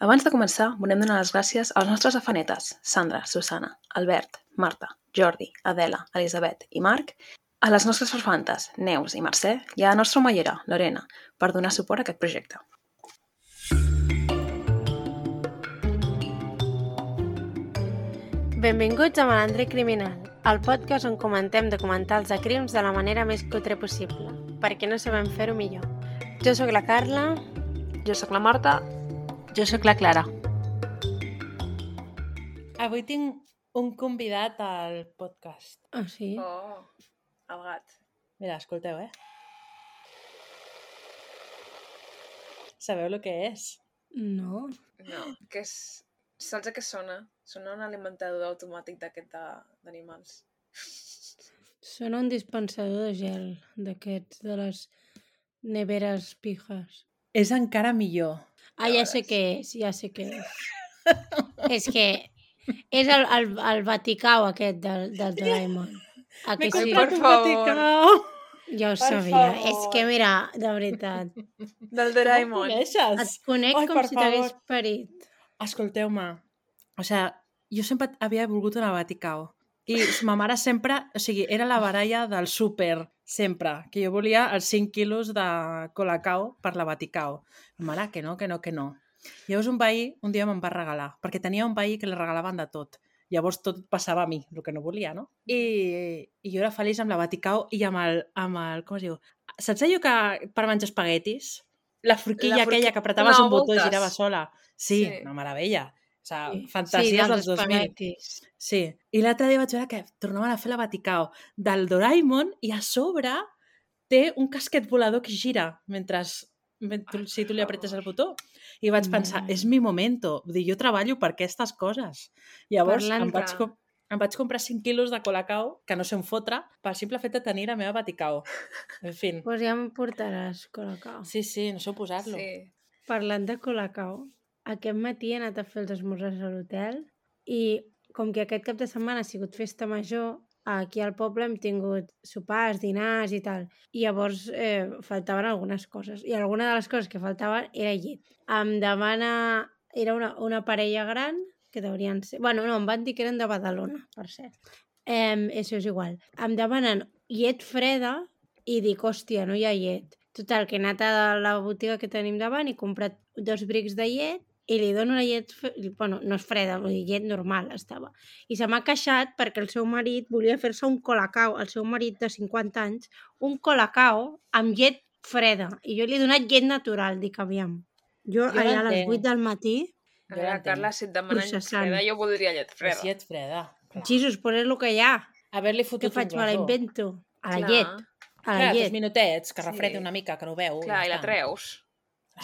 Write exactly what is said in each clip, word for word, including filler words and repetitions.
Abans de començar, volem donar les gràcies als nostres afanetes, Sandra, Susana, Albert, Marta, Jordi, Adela, Elisabet i Marc, a les nostres farfantes, Neus i Mercè, i a la nostra omellera, Lorena, per donar suport a aquest projecte. Benvinguts a Malandre Criminal, el podcast on comentem documentals de crims de la manera més cutre possible, perquè no sabem fer-ho millor. Jo sóc la Carla. Jo sóc la Marta. Jo sóc la Clara. Avui tinc un convidat al podcast. Ah, sí? Oh, el gat. Mira, escolteu, eh? Sabeu el que és? No. No, que és... Saps a què sona? Sona un alimentador automàtic d'aquest d'animals. Sona un dispensador de gel, d'aquests, de les neveres pijes. És encara millor. Ah, ja sé què és, ja sé què és. És que és el, el, el Vaticau aquest del, del Doraemon. A que M'he sí? comprat un Per favor. Vaticau. Ja ho Per sabia. favor. És que, mira, de veritat, Del Com Doraemon. et coneixes? conec Ai, com per si t'hagués favor. parit. Escolteu-me. O sigui, jo sempre havia volgut una Vaticau. I ma mare sempre... O sigui, era la baralla del súper, sempre. Que jo volia els cinc quilos de Colacao per la Vaticau. Ma mare, que no, que no, que no. Llavors un veí un dia me'n va regalar, perquè tenia un veí que li regalaven de tot. Llavors tot passava a mi, el que no volia, no? I, i jo era feliç amb la Vaticau i amb el, amb el... Com es diu? Saps allò que per menjar espaguetis? La forquilla La forqui- aquella que apretaves No, un botó i voltes. girava sola. Sí, Sí. una meravella. O sigui, Sí, fantasies dels dos mil. espaguetis. Sí. I l'altre dia vaig veure que tornaven a fer la Vaticau del Doraemon i a sobre té un casquet volador que gira mentre, mentre si tu li apretes el botó. I vaig pensar, Mm. és mi momento. Vull dir, jo treballo per aquestes coses. Llavors Parlant em vaig, de- com, em vaig comprar cinc quilos de Colacao, que no sé on fotre, pel simple fet de tenir la meva Vaticau. En fi. Pues ja em portaràs Colacao. Sí, sí, no sé on posar-lo. Sí. Parlant de Colacao, aquest matí he anat a fer els esmorzars a l'hotel i com que aquest cap de setmana ha sigut festa major, aquí al poble hem tingut sopars, dinars i tal. I llavors eh, faltaven algunes coses. I alguna de les coses que faltaven era llet. Em demana... Era una, una parella gran, que deurien ser... Bueno, no, em van dir que eren de Badalona, per cert. Eh, això és igual. Em demanen llet freda i dic, hòstia, no hi ha llet. Total, que he anat a la botiga que tenim davant i he comprat dos brics de llet i li dono la llet, fre- bueno, no és freda, vull dir, llet normal estava. I se m'ha queixat perquè el seu marit volia fer-se un colacao, el seu marit de cinquanta anys, un colacao amb llet freda. I jo li he donat llet natural, dic, aviam. Jo, Jo allà a les l'entenc. vuit del matí, A Jo veure, l'entenc. Carla, si et demanen llet Processant. freda, jo voldria llet És freda. llet freda. Clar. Jesus, pues és el que hi ha. Haver-li Què fotut faig? un Me la glaçó. invento. A la Clar. llet. A la Clar, dos llet. minutets, que Sí. refredi una mica, que no ho veu. Clar, i la està. treus.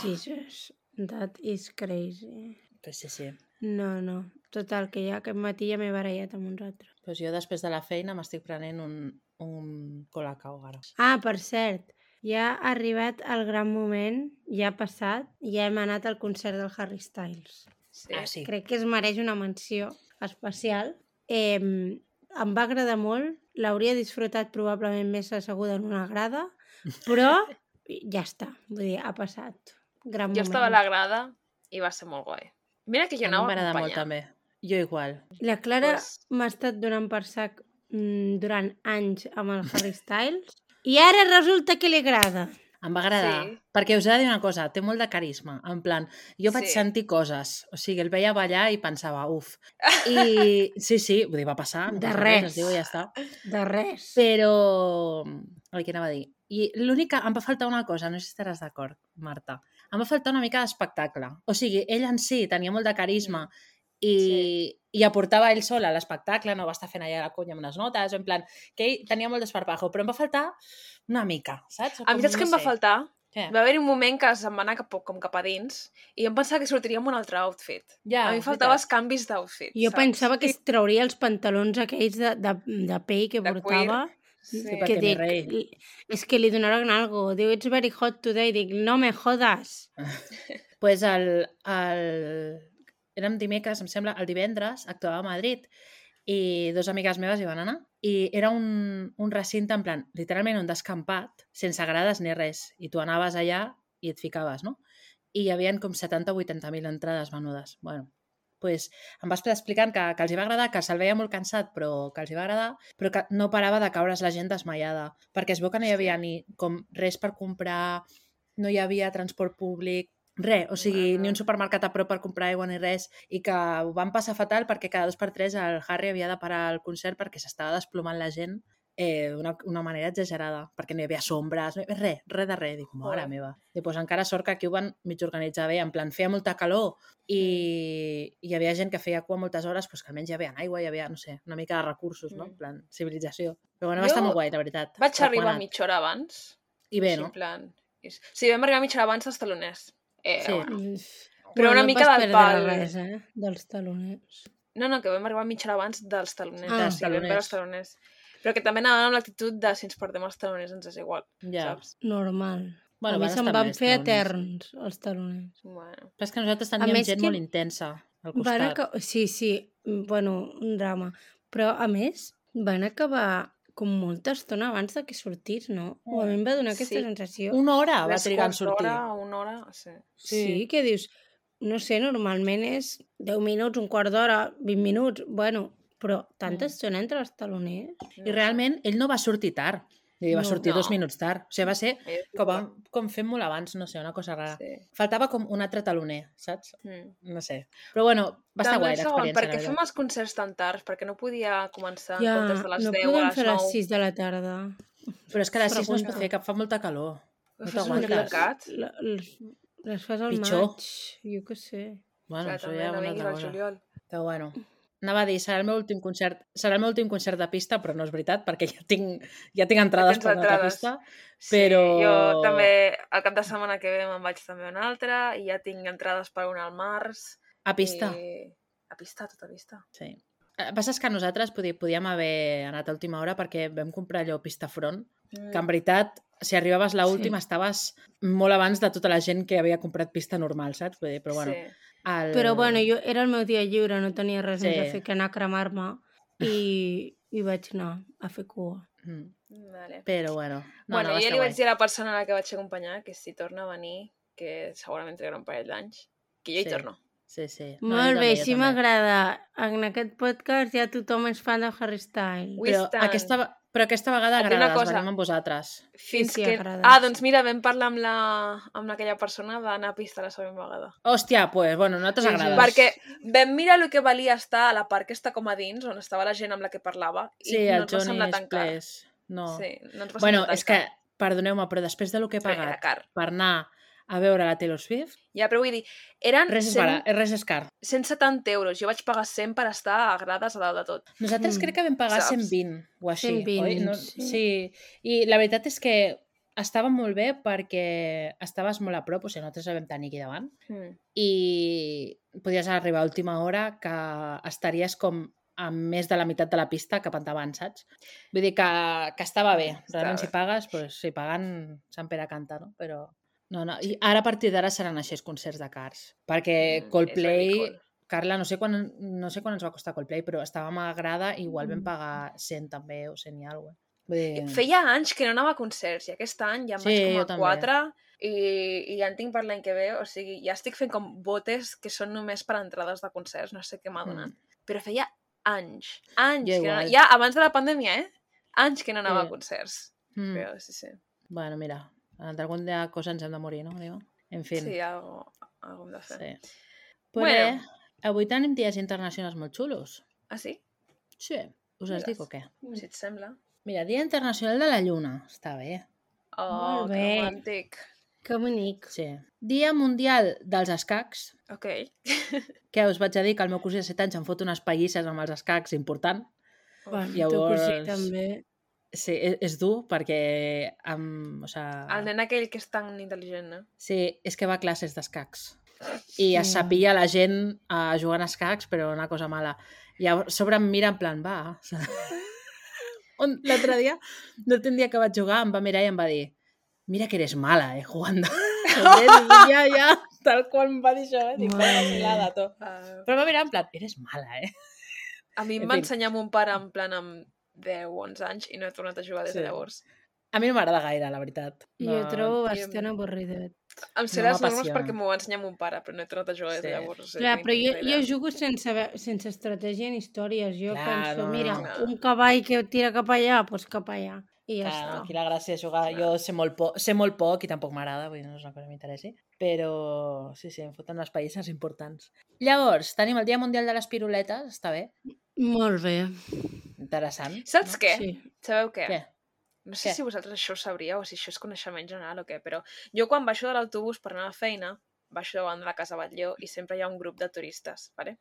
Jesus, that is crazy. Pues sí, sí. No, no. Total, que ja aquest matí ja m'he barallat amb uns altres. Pues jo després de la feina m'estic prenent un, un Colacao ara. Ah, per cert, ja ha arribat el gran moment, ja ha passat, ja hem anat al concert del Harry Styles. Sí. Ah, sí. Crec que es mereix una menció especial. Eh, em va agradar molt, l'hauria disfrutat probablement més asseguda en una grada, però ja està, vull dir, ha passat. Gran Jo moment. estava a la grada i va ser molt guai. Mira que jo A mi anava m'agrada molt acompanyant. també. Jo igual. La Clara Pues- m'ha estat donant per sac mm, durant anys amb el Harry Styles i ara resulta que li agrada. Em va agradar. Sí. Perquè us he de dir una cosa, té molt de carisma. En plan, jo vaig Sí. sentir coses. O sigui, el veia ballar i pensava, uf. I sí, sí, vull dir, va passar. no De passa res. Es diu i ja està. De res. Però... El que anava a dir. I l'únic que em va faltar una cosa, no sé si estaràs d'acord, Marta. Em va faltar una mica d'espectacle. O sigui, ell en si tenia molt de carisma i, Sí. i aportava ell sol a l'espectacle, no va estar fent allà la conya amb unes notes, en plan, que ell tenia molt d'esparpajo, però em va faltar una mica, saps? A mi saps què em va faltar? Què? Va haver-hi un moment que se'm va anar cap, com cap a dins i em pensava que sortiria amb un altre outfit. Ja, a mi em faltava els veritat. canvis d'outfit, Jo saps? pensava que es trauria els pantalons aquells de, de, de pell que De portava. Sí. Sí, Que perquè mi dic, rei. li- és que li donaran algo. Diu, it's very hot today. Dic, no me jodas. Pues el, el... Érem dimecres, em sembla, el divendres, actuava a Madrid i dos amigues meves hi van anar i era un, un recinte en plan, literalment un descampat, sense grades ni res, i tu anaves allà i et ficaves, no? i hi havia com setanta o vuitanta mil entrades venudes. Bueno, pues, em va estar explicant que, que els hi va agradar, que se'l veia molt cansat, però que els hi va agradar, però que no parava de caure's la gent desmaiada, perquè es veu que no hi havia ni com res per comprar, no hi havia transport públic, res, o sigui, Bueno. ni un supermercat a prop per comprar aigua ni res, i que ho van passar fatal perquè cada dos per tres el Harry havia de parar el concert perquè s'estava desplomant la gent eh, d'una una manera exagerada, perquè no hi havia sombres, no hi havia res, res de res. Dic, mare Joder. meva. I pues, encara sort que aquí ho van mig organitzar bé, en plan, feia molta calor i hi havia gent que feia cua moltes hores, pues, que almenys hi havia aigua, hi havia, no sé, una mica de recursos, no? En plan, civilització. Però bueno, va Jo estar molt guai, la veritat. Vaig arribar Recomanat. mitja hora abans. I bé, Així, no? en plan... Sí, vam arribar mitja hora abans als taloners. Eh, Sí. bueno. Però Però una no mica vas del perdre pal. res, eh? Dels taloners. No, no, que vam arribar mitja hora abans dels taloners. Ah. Ah, sí, vam veure els taloners. Però que també anàvem amb l'actitud de si ens perdem els taloners ens és igual, Ja. saps? Normal. Bueno, a mi van se'm estar van més fer taloners. eterns, els taloners. Bueno. Però és que nosaltres A teníem més gent que- molt intensa al Van costat. acabar... Sí, sí, bueno, un drama. Però, a més, van acabar com molta estona abans de que sortís, no? O a mi em va donar aquesta Sí. sensació. Una hora va Tres trigar en quarts sortir. d'hora, una hora, sí. Sí. Sí. que dius, no sé, normalment és deu minuts, un quart d'hora, vint minuts, bueno, però tanta Mm. estona entre els taloners. I realment ell no va sortir tard. I va No. sortir No. dos minuts tard. O sigui, va ser Eh, com, va, com fent molt abans, no sé, una cosa rara. Sí. Faltava com un altre taloner, saps? Mm. No sé. Però bueno, va estar També guai el segon, l'experiència. per què la fem veritat. els concerts tan tards? Perquè no podia començar en Ja, comptes de les no deu a podem les fer a nou. les sis de la tarda. Però és que a les sis no es pot Pregunta. fer, que fa molta calor. No Fes t'aguantes. un tancat? La- Les, les fas al Pitjor. maig, jo què sé. Bueno, Clar, això també ja no una vinguis altra al cosa. juliol. Però bueno, anava a dir, serà el meu últim concert, serà el meu últim concert de pista, però no és veritat, perquè ja tinc, ja tinc entrades tens per una altra entrades. pista. Sí, Però- jo també, el cap de setmana que ve me'n vaig també a una altra i ja tinc entrades per una al març. A pista. I... A pista, tota pista. Sí. El que passa és que nosaltres podi- podíem haver anat a última hora perquè vam comprar allò pista front, Mm. que en veritat, si arribaves a l'última, sí. estaves molt abans de tota la gent que havia comprat pista normal, saps? Vull dir, però bueno. Sí. El... Però bueno, jo era el meu dia lliure, no tenia res Sí. més a fer que anar a cremar-me i, i vaig anar a fer cua. Mm. Vale. Però bueno. No, bueno, no, va jo estar li guai. vaig dir a la persona a la que vaig acompanyar que si torna a venir, que segurament trigarà un parell d'anys, que jo hi Sí. torno. Sí, sí. No, jo Molt bé, també, jo així també. m'agrada. En aquest podcast ja tothom és fan de Harry Styles. Ui, Però tant. aquesta, però aquesta vegada Et dic una agrada, cosa. venim amb vosaltres. Fins sí, que... agrada, Ah, sí. doncs mira, vam parlar amb, la... amb aquella persona d'anar a pista la següent vegada. Hòstia, pues, bueno, no t'has Sí, sí. agradat. Perquè vam mirar el que valia estar a la part que està com a dins, on estava la gent amb la que parlava, i Sí, no el ens va semblar Johnny tan car. Splash. No. Sí, no ens va Bueno, semblar tan és que, car. perdoneu-me, però després del que he Però era pagat car. per anar a veure la Taylor Swift, Ja, però vull dir, eren res és, cent, barat, res és car. cent setanta euros. Jo vaig pagar cent per estar a grades a dalt de tot. Nosaltres Mm. crec que vam pagar Saps? cent vint o així, cent vint, oi? No, sí. sí. I la veritat és que estava molt bé perquè estaves molt a prop, o sigui, nosaltres la vam tenir aquí davant, Mm. i podies arribar a última hora que estaries com a més de la meitat de la pista cap endavant, saps? Vull dir que, que estava bé. Estava Realment, bé. si pagues, doncs, si pagant, Sant Pere canta, no? Però no, no. I ara, a partir d'ara, seran així els concerts de Cars. Perquè Mm, Coldplay... és ridícul. Carla, no sé, quan, no sé quan ens va costar Coldplay, però estàvem a grada i igual vam Mm. pagar cent també, o cent i alguna cosa. Vull dir... Feia anys que no anava a concerts i aquest any ja em Sí, vaig jo com també. a quatre i, i ja en tinc per l'any que ve, o sigui, ja estic fent com botes que són només per entrades de concerts, no sé què m'ha donat. Mm. Però feia anys, anys, Jo que no, igual. ja abans de la pandèmia, eh? Anys que no anava Sí. a concerts. Mm. Però sí, sí. Bueno, mira, d'algun dia cosa ens hem de morir, no? Digo? En fi. Sí, algo, algo hem de fer. Sí. Però Bueno. avui tenim dies internacionals molt xulos. Ah, sí? Sí. Us els Digues. dic o què? Si et sembla. Mira, Dia Internacional de la Lluna. Està bé. Oh, Molt que bé. romàntic. Que bonic. Sí. Dia Mundial dels Escacs. Ok. Que us vaig a dir que el meu cosí de set anys em fot unes pallisses amb els escacs important. Bueno, Llavors- tu cosí també. Sí, és, és dur perquè... Amb, o sea, El nen aquell que és tan intel·ligent, no? sí, és que va a classes d'escacs. I es Sí. sapia la gent uh, jugant a escacs, però una cosa mala. I a sobre em mira en plan, va... On l'altre dia, l'últim dia que vaig jugar, em va mirar i em va dir mira que eres mala, eh, jugando. ja, ja, tal qual em va dir això, eh? Dic, Mare vaya meva. vacilada, to. Uh, Però em va mirar en plan, eres mala, eh? a mi em En va fi. ensenyar mon pare en plan amb deu o onze anys i no he tornat a jugar des de Sí. llavors. A mi no m'agrada gaire, la veritat. Jo ho trobo jo- bastant avorridet. Em sé No les normes m'apassiona. perquè m'ho va ensenyar mon pare, però no he tornat a jugar des Sí. de llavors. O sigui, Clar, no però tinc jo, ni jo idea. jugo sense, haver- sense estratègia ni històries. Jo Clar, penso, no, mira, no. un cavall que tira cap allà, doncs cap allà. I ja Clar, està. aquí la gràcia és jugar. Jo sé molt, po sé molt poc i tampoc m'agrada, vull dir, no és una cosa que m'interessi, però sí, sí, em foten les païsses importants. Llavors, tenim el Dia Mundial de les Piruletes, està bé, Molt bé. interessant. Saps no? què? Sí. Sabeu què? Què? No sé Què? si vosaltres això ho sabríeu o si això és coneixement general o què, però jo quan baixo de l'autobús per anar a la feina, baixo davant de la Casa Batlló i sempre hi ha un grup de turistes, ¿vale?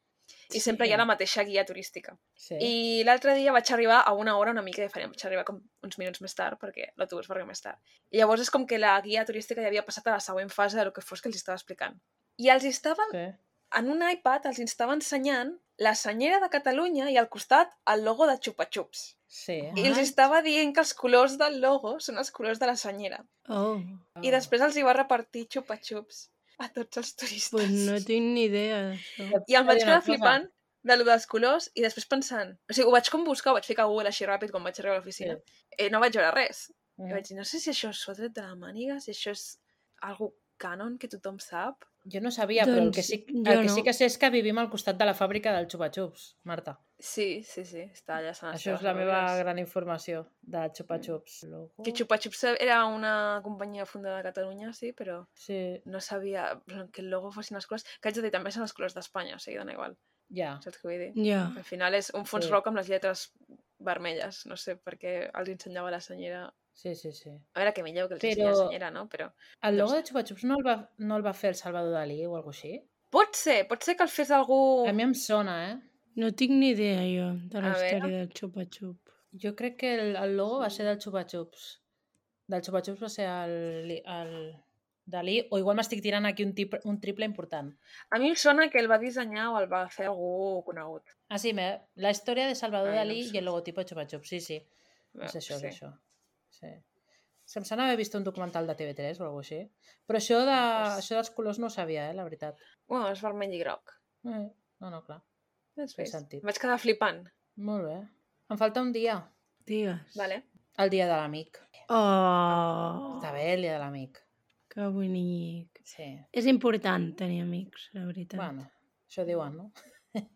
I sempre Sí. hi ha la mateixa guia turística. Sí. I l'altre dia vaig arribar a una hora una mica diferent, vaig arribar com uns minuts més tard perquè l'autobús va arribar més tard. I llavors és com que la guia turística ja havia passat a la següent fase del que fos que els estava explicant. I els estaven, Sí. en un iPad, els estava ensenyant la senyera de Catalunya i al costat el logo de Chupa Chups. Sí. I els What? estava dient que els colors del logo són els colors de la senyera. Oh, I després els hi va repartir Chupa Chups a tots els turistes. pues no tinc ni idea d'això. I em vaig Una quedar cosa. flipant de lo dels colors i després pensant... O sigui, ho vaig com buscar, ho vaig ficar a Google així ràpid quan vaig arribar a l'oficina. Sí. Eh, no vaig veure res. Mm. I vaig dir, no sé si això s'ho ha tret de la màniga, si això és algo canon que tothom sap. Jo no sabia, però el que, Doncs sí, jo el que no. sí que sé és que vivim al costat de la fàbrica del Chupa Chups, Marta. Sí, sí, sí, està allà. Sant Això és la meva gran informació de Chupa Chups. Logo... Que Chupa Chups era una companyia fundada a Catalunya, sí, però Sí, no sabia que el logo fossin els colors. Que haig de dir, també són els colors d'Espanya, o sigui, dona igual. ja. Saps què vull dir? Ja. Al final és un fons Sí. roc amb les lletres vermelles. No sé per què els ensenyava la senyera. Sí, sí, sí. A veure, que millor que els Però- ensenya la senyera, no? Però... El No logo sé. de Chupa Chups no el, va, no el va fer el Salvador Dalí o alguna cosa així? Pot ser, pot ser que el fes algú... A mi em sona, eh? No tinc ni idea jo de la A veure. història del xupa-xup. Jo crec que el, el logo va ser del Chupa Chups. Del Chupa Chups va ser el, el Dalí, o igual m'estic tirant aquí un, tip, un triple important. A mi em sona que el va dissenyar o el va fer algú conegut. Ah, sí, me, la història de Salvador Ai, no Dalí ho sé. i el logotipo de Chupa Chups, sí, sí. Bé, És això, sí. és això. Sí. Se'm sona haver vist un documental de T V tres o alguna cosa així. Però això, de, Pues- això dels colors no ho sabia, eh, la veritat. Bueno, és vermell i groc. Eh, no, no, clar. Has Té vist? sentit. Vaig quedar flipant. Molt bé. Em falta un dia. Digues. Vale. El dia de l'amic. Oh, Està bé el dia de l'amic. que bonic. Sí. És important tenir amics, la veritat. Bueno, això diuen, no?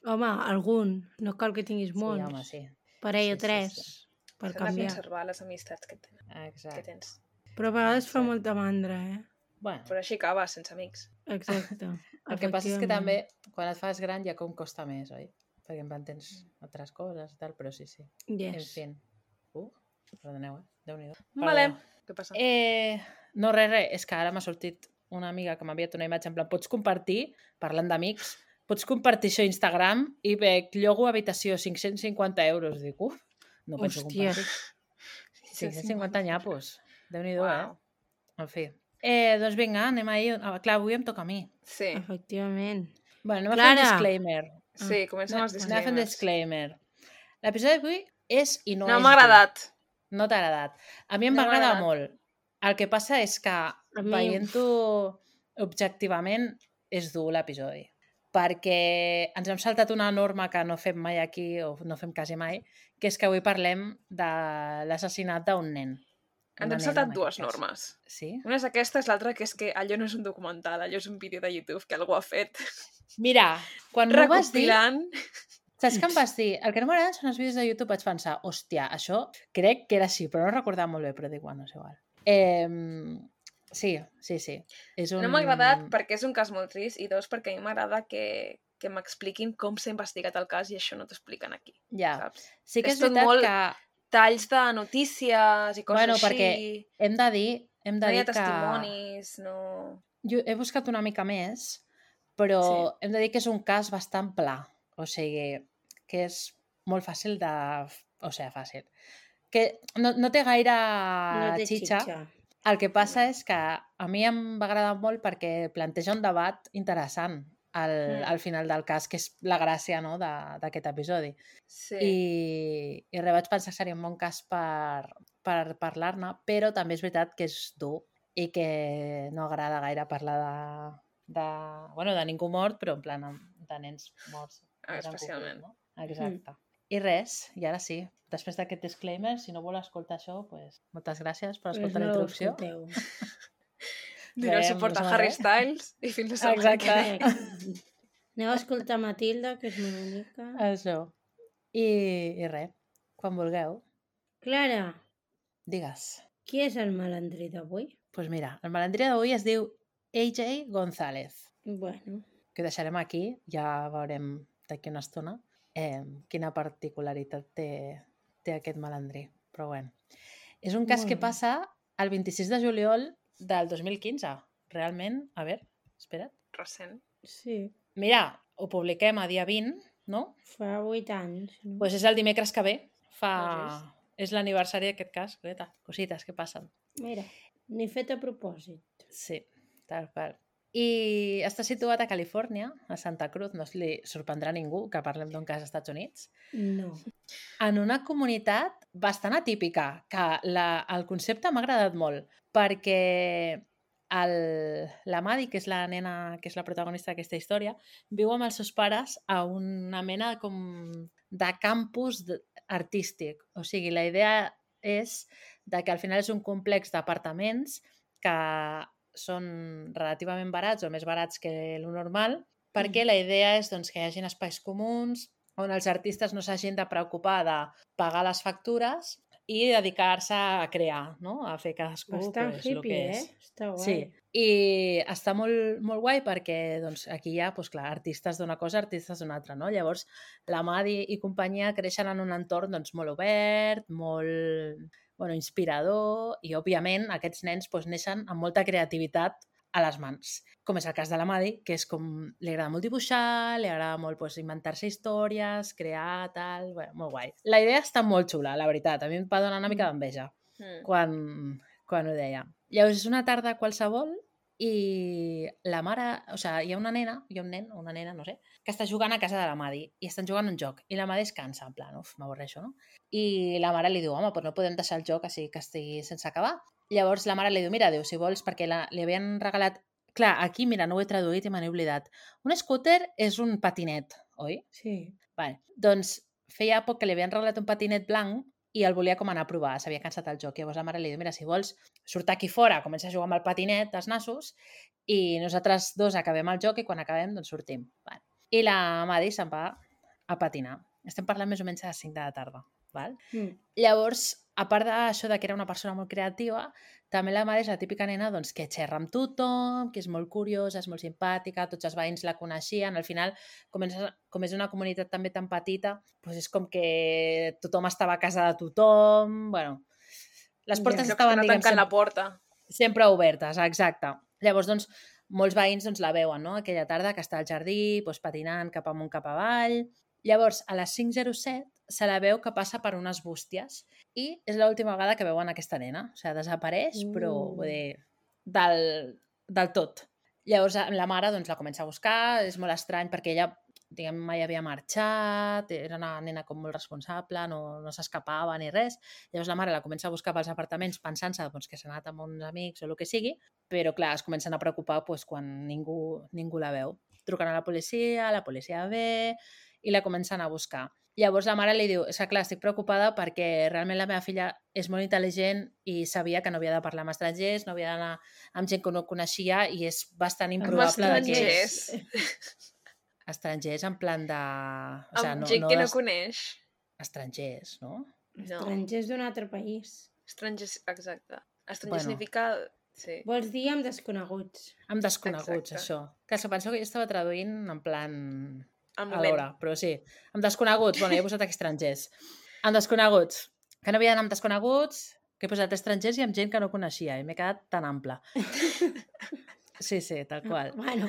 Home, algun. No cal que tinguis Sí, molts. home, sí. Parell Sí, o sí, tres, sí. per S'han de canviar. conservar les amistats que, ten, que Exacte. tens. Però a vegades fa Sí. molta mandra, eh? Bueno, Però així acabes, sense amics. Exacte. el que passa és que també, Efectivament. quan et fas gran, ja com costa més, oi? Perquè en plan tens altres coses i tal, però sí, sí. En Yes. fi. Uh, perdoneu, eh? Déu-n'hi-do. Vale. Perdó. Què passa? Eh, no, res, res, és que ara m'ha sortit una amiga que m'ha enviat una imatge en plan, pots compartir, parlant d'amics, pots compartir això a Instagram i veig llogo habitació cinc-cents cinquanta euros. Dic, uf, no penso Hòstia. compartir. cinc-cents cinquanta nyapos. Déu-n'hi-do, Uau. eh? En fi. Eh, doncs vinga, anem ahir. Ah, clar, avui em toca a mi. Sí, Efectivament. Bueno, anem a fer un Clara. disclaimer. sí, comencem Anem els anem a fer un disclaimers. disclaimer. L'episodi d'avui és i no, No és m'ha dur. agradat. No t'ha agradat. A mi em No va m'ha agradar agradat. molt. El que passa és que, mi- veient-ho objectivament, és dur l'episodi. Perquè ens hem saltat una norma que no fem mai aquí, o no fem quasi mai, que és que avui parlem de l'assassinat d'un nen. Ens Una hem nena, saltat en dues aquest cas. normes. Sí? Una és aquesta, és l'altra que és que allò no és un documental, allò és un vídeo de YouTube que algú ha fet Mira, quan m'ho vas dir, recopilant. saps què em vas dir? El que no m'agraden són els vídeos de YouTube. Vaig pensar, hòstia, això crec que era així, però no recordava molt bé, però dic, bueno, és igual. Eh, sí, sí, sí. És un... No m'ha agradat perquè és un cas molt trist i dos, perquè a mi m'agrada que, que m'expliquin com s'ha investigat el cas i això no t'expliquen aquí, Ja, saps? sí que és és, tot veritat molt que Talls de notícies i coses Bueno, així. perquè hem de dir, hem de No hi dir ha que... testimonis, no... Jo he buscat una mica més, però Sí. hem de dir que és un cas bastant pla. O sigui, que és molt fàcil de... O sigui, fàcil. Que no, no té gaire No té xitxa. xitxa. El que passa és que a mi em va agradar molt perquè planteja un debat interessant al, Mm. al final del cas, que és la gràcia, no?, de- d'aquest episodi. Sí. I, i res, vaig pensar que seria un bon cas per, per parlar-ne, però també és veritat que és dur i que no agrada gaire parlar de, de, bueno, de ningú mort, però en plan de nens morts. Ah, més en especialment. concret, no? Exacte. I res, i ara sí, després d'aquest disclaimer, si no vol escoltar això, pues, moltes gràcies per Pues escoltar no la ho introducció. escolteu. Donant Veiem, suport a no sé, Harry eh? Styles i fins la setmana Exacte. que ve. Correcte. Aneu a escoltar Matilda, que és molt bonica. Això. I, i res, quan vulgueu, Clara, digues. qui és el malandrí d'avui? Doncs pues mira, el malandrí d'avui es diu A J González, Bueno, que ho deixarem aquí, ja veurem d'aquí una estona eh, quina particularitat té, té aquest malandrí. Però bueno, és un cas Molt que bé. passa el vint-i-sis de juliol del dos mil quinze. Realment, a veure, espera't. Recent. sí, Mira, ho publiquem a dia vint, no? fa vuit anys. No? Doncs pues és el dimecres que ve. Fa... Has És l'aniversari d'aquest cas. Coseta, cosites que passen. Mira, ni fet a propòsit. Sí, tal qual. I està situat a Califòrnia, a Santa Cruz, no li sorprendrà a ningú que parlem d'un cas als Estats Units, No. en una comunitat bastant atípica, que la, el concepte m'ha agradat molt, perquè el, la Maddie, que és la nena, que és la protagonista d'aquesta història, viu amb els seus pares a una mena com de campus de- artístic. O sigui, la idea és de que al final és un complex d'apartaments que són relativament barats o més barats que el normal, perquè la idea és doncs, que hi hagin espais comuns on els artistes no s'hagin de preocupar de pagar les factures i dedicar-se a crear, no? A fer cadascú Bastant pues, el hippie, que eh? és. Està guai. Sí, i està molt, molt guai perquè doncs, aquí hi ha doncs, clar, artistes d'una cosa, artistes d'una altra. No? Llavors, la Maddie i companyia creixen en un entorn doncs, molt obert, molt bueno, inspirador i, òbviament, aquests nens doncs, neixen amb molta creativitat a les mans. Com és el cas de la Maddie, que és com... li agrada molt dibuixar, li agrada molt doncs, inventar-se històries, crear, tal... Bueno, molt guai. La idea està molt xula, la veritat. A mi em va donar una mica d'enveja Mm. quan, quan ho deia. Llavors, és una tarda qualsevol i la mare... O sigui, hi ha una nena, hi ha un nen, una nena, no sé, que està jugant a casa de la Maddie i estan jugant un joc. I la Maddie es cansa, en plan, uf, m'avorreixo, no? I la mare li diu, home, però no podem deixar el joc així que estigui sense acabar. Llavors la mare li diu, mira, diu, si vols, perquè la, li havien regalat... Clar, aquí, mira, no ho he traduït i me n'he oblidat. Un scooter és un patinet, oi? Sí. Vale. Doncs feia poc que li havien regalat un patinet blanc i el volia com anar a provar, s'havia cansat el joc. Llavors la mare li diu, mira, si vols, surt aquí fora, comença a jugar amb el patinet dels nassos i nosaltres dos acabem el joc i quan acabem, doncs sortim. Vale. I la Maddie se'n va a patinar. Estem parlant més o menys a les cinc de la tarda. Val? Mm. Llavors, a part d'això de que era una persona molt creativa, també la Maddie és la típica nena doncs, que xerra amb tothom, que és molt curiosa, és molt simpàtica, tots els veïns la coneixien. Al final, com és, com és una comunitat també tan petita, doncs és com que tothom estava a casa de tothom. Bueno, les portes Llocs estaven, que no diguem, tanquen sempre, la porta. sempre obertes, exacte. Llavors, doncs, molts veïns doncs, la veuen, no? Aquella tarda que està al jardí, doncs, patinant cap amunt, cap avall. Llavors, a les cinc zero set se la veu que passa per unes bústies i és l'última vegada que veuen aquesta nena. O sigui, desapareix, Mm. però vull dir, del, del tot. Llavors, la mare doncs, la comença a buscar, és molt estrany perquè ella diguem, mai havia marxat, era una nena com molt responsable, no, no s'escapava ni res. Llavors la mare la comença a buscar pels apartaments pensant-se doncs, que s'ha anat amb uns amics o el que sigui, però clar, es comencen a preocupar doncs, quan ningú, ningú la veu. Truquen a la policia, la policia ve i la comencen a buscar. Llavors la mare li diu, és que clar, estic preocupada perquè realment la meva filla és molt intel·ligent i sabia que no havia de parlar amb estrangers, no havia d'anar amb gent que no coneixia i és bastant improbable Amb que... estrangers. Estrangers en plan de... O Amb sea, no, gent no que no est- coneix. Estrangers, no? No. Estrangers d'un altre país. Estrangers, exacte. Estranger Bueno. significa... Sí. Vols dir amb desconeguts. Amb desconeguts, Exacte. això. Que se penso que jo estava traduint en plan... Al a moment. l'hora, però sí. Amb desconeguts, bueno, jo he posat aquí estrangers. Amb desconeguts. Que no havia d'anar amb desconeguts, que he posat estrangers i amb gent que no coneixia, i m'he quedat tan ample. Sí, sí, tal qual. Bueno,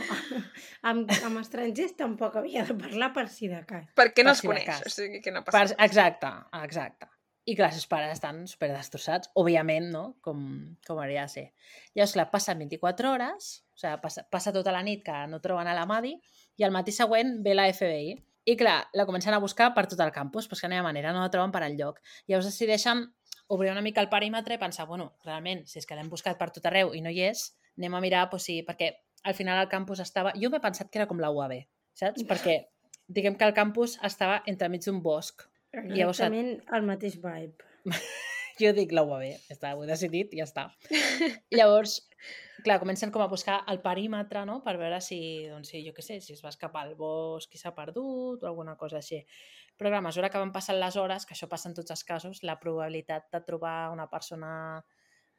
amb, amb estrangers tampoc havia de parlar per si de cas. Perquè no Per els si de coneix. cas. O sigui que no Per, passa res. exacte, exacte. I clar, els seus pares estan super destrossats, òbviament, no? Com, com hauria de ser. Llavors, clar, passen vint-i-quatre hores, o sigui, passa, passa tota la nit que no troben a la Maddie, i al matí següent ve la F B I. I clar, la comencen a buscar per tot el campus, però és que no hi ha manera, no la troben per enlloc. Llavors decideixen obrir una mica el perímetre i pensar, bueno, realment, si és que l'hem buscat per tot arreu i no hi és, anem a mirar, doncs sí, perquè al final el campus estava... Jo m'he pensat que era com la U A B, saps? Perquè diguem que el campus estava entremig d'un bosc. Llavors- Exactament el mateix vibe. Jo dic la U A B, ja està, ho he decidit i ja està. Llavors, clar, comencen com a buscar el perímetre, no?, per veure si, doncs, si, jo què sé, si es va escapar al bosc i s'ha perdut o alguna cosa així. Però clar, a mesura que van passant les hores, que això passa en tots els casos, la probabilitat de trobar una persona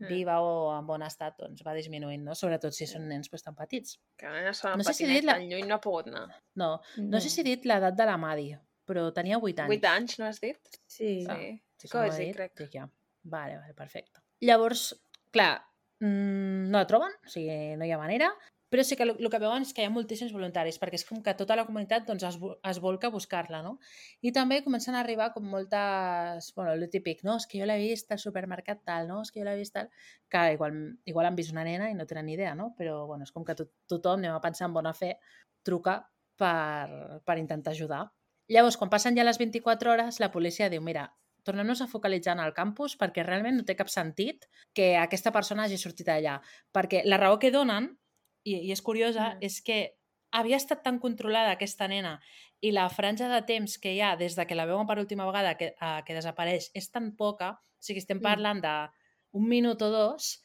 viva o en bon estat doncs, va disminuint, no? Sobretot si són nens doncs, tan petits. Que la nena s'ha No sé si patinet dit la- tan lluny no ha pogut anar. No, no, No. sé si he dit l'edat de la Madi, però tenia vuit anys. Vuit anys, no has dit? Sí. Ah, Sí. Sí Que ho que has m'ho ha dit, dit, crec. dic ja. Vale, vale, perfecte. Llavors, clar, mm, no la troben, o sigui, no hi ha manera, però sí que el, el que veuen és que hi ha moltíssims voluntaris, perquè és com que tota la comunitat doncs, es, vo- es volca a buscar-la, no? I també comencen a arribar com moltes... Bueno, el típic, no? És que jo l'he vist al supermercat tal, no? És que jo l'he vist tal... Que igual, igual han vist una nena i no tenen ni idea, no? Però, bueno, és com que to tothom, anem a pensar en bona fe, truca per, per intentar ajudar. Llavors, quan passen ja les vint-i-quatre hores, la policia diu, mira, tornem-nos a focalitzar en el campus perquè realment no té cap sentit que aquesta persona hagi sortit allà. Perquè la raó que donen, i, i és curiosa, Mm. és que havia estat tan controlada aquesta nena i la franja de temps que hi ha des de que la veuen per última vegada que, a, que desapareix és tan poca, o sigui, estem Mm. parlant d'un minut o dos,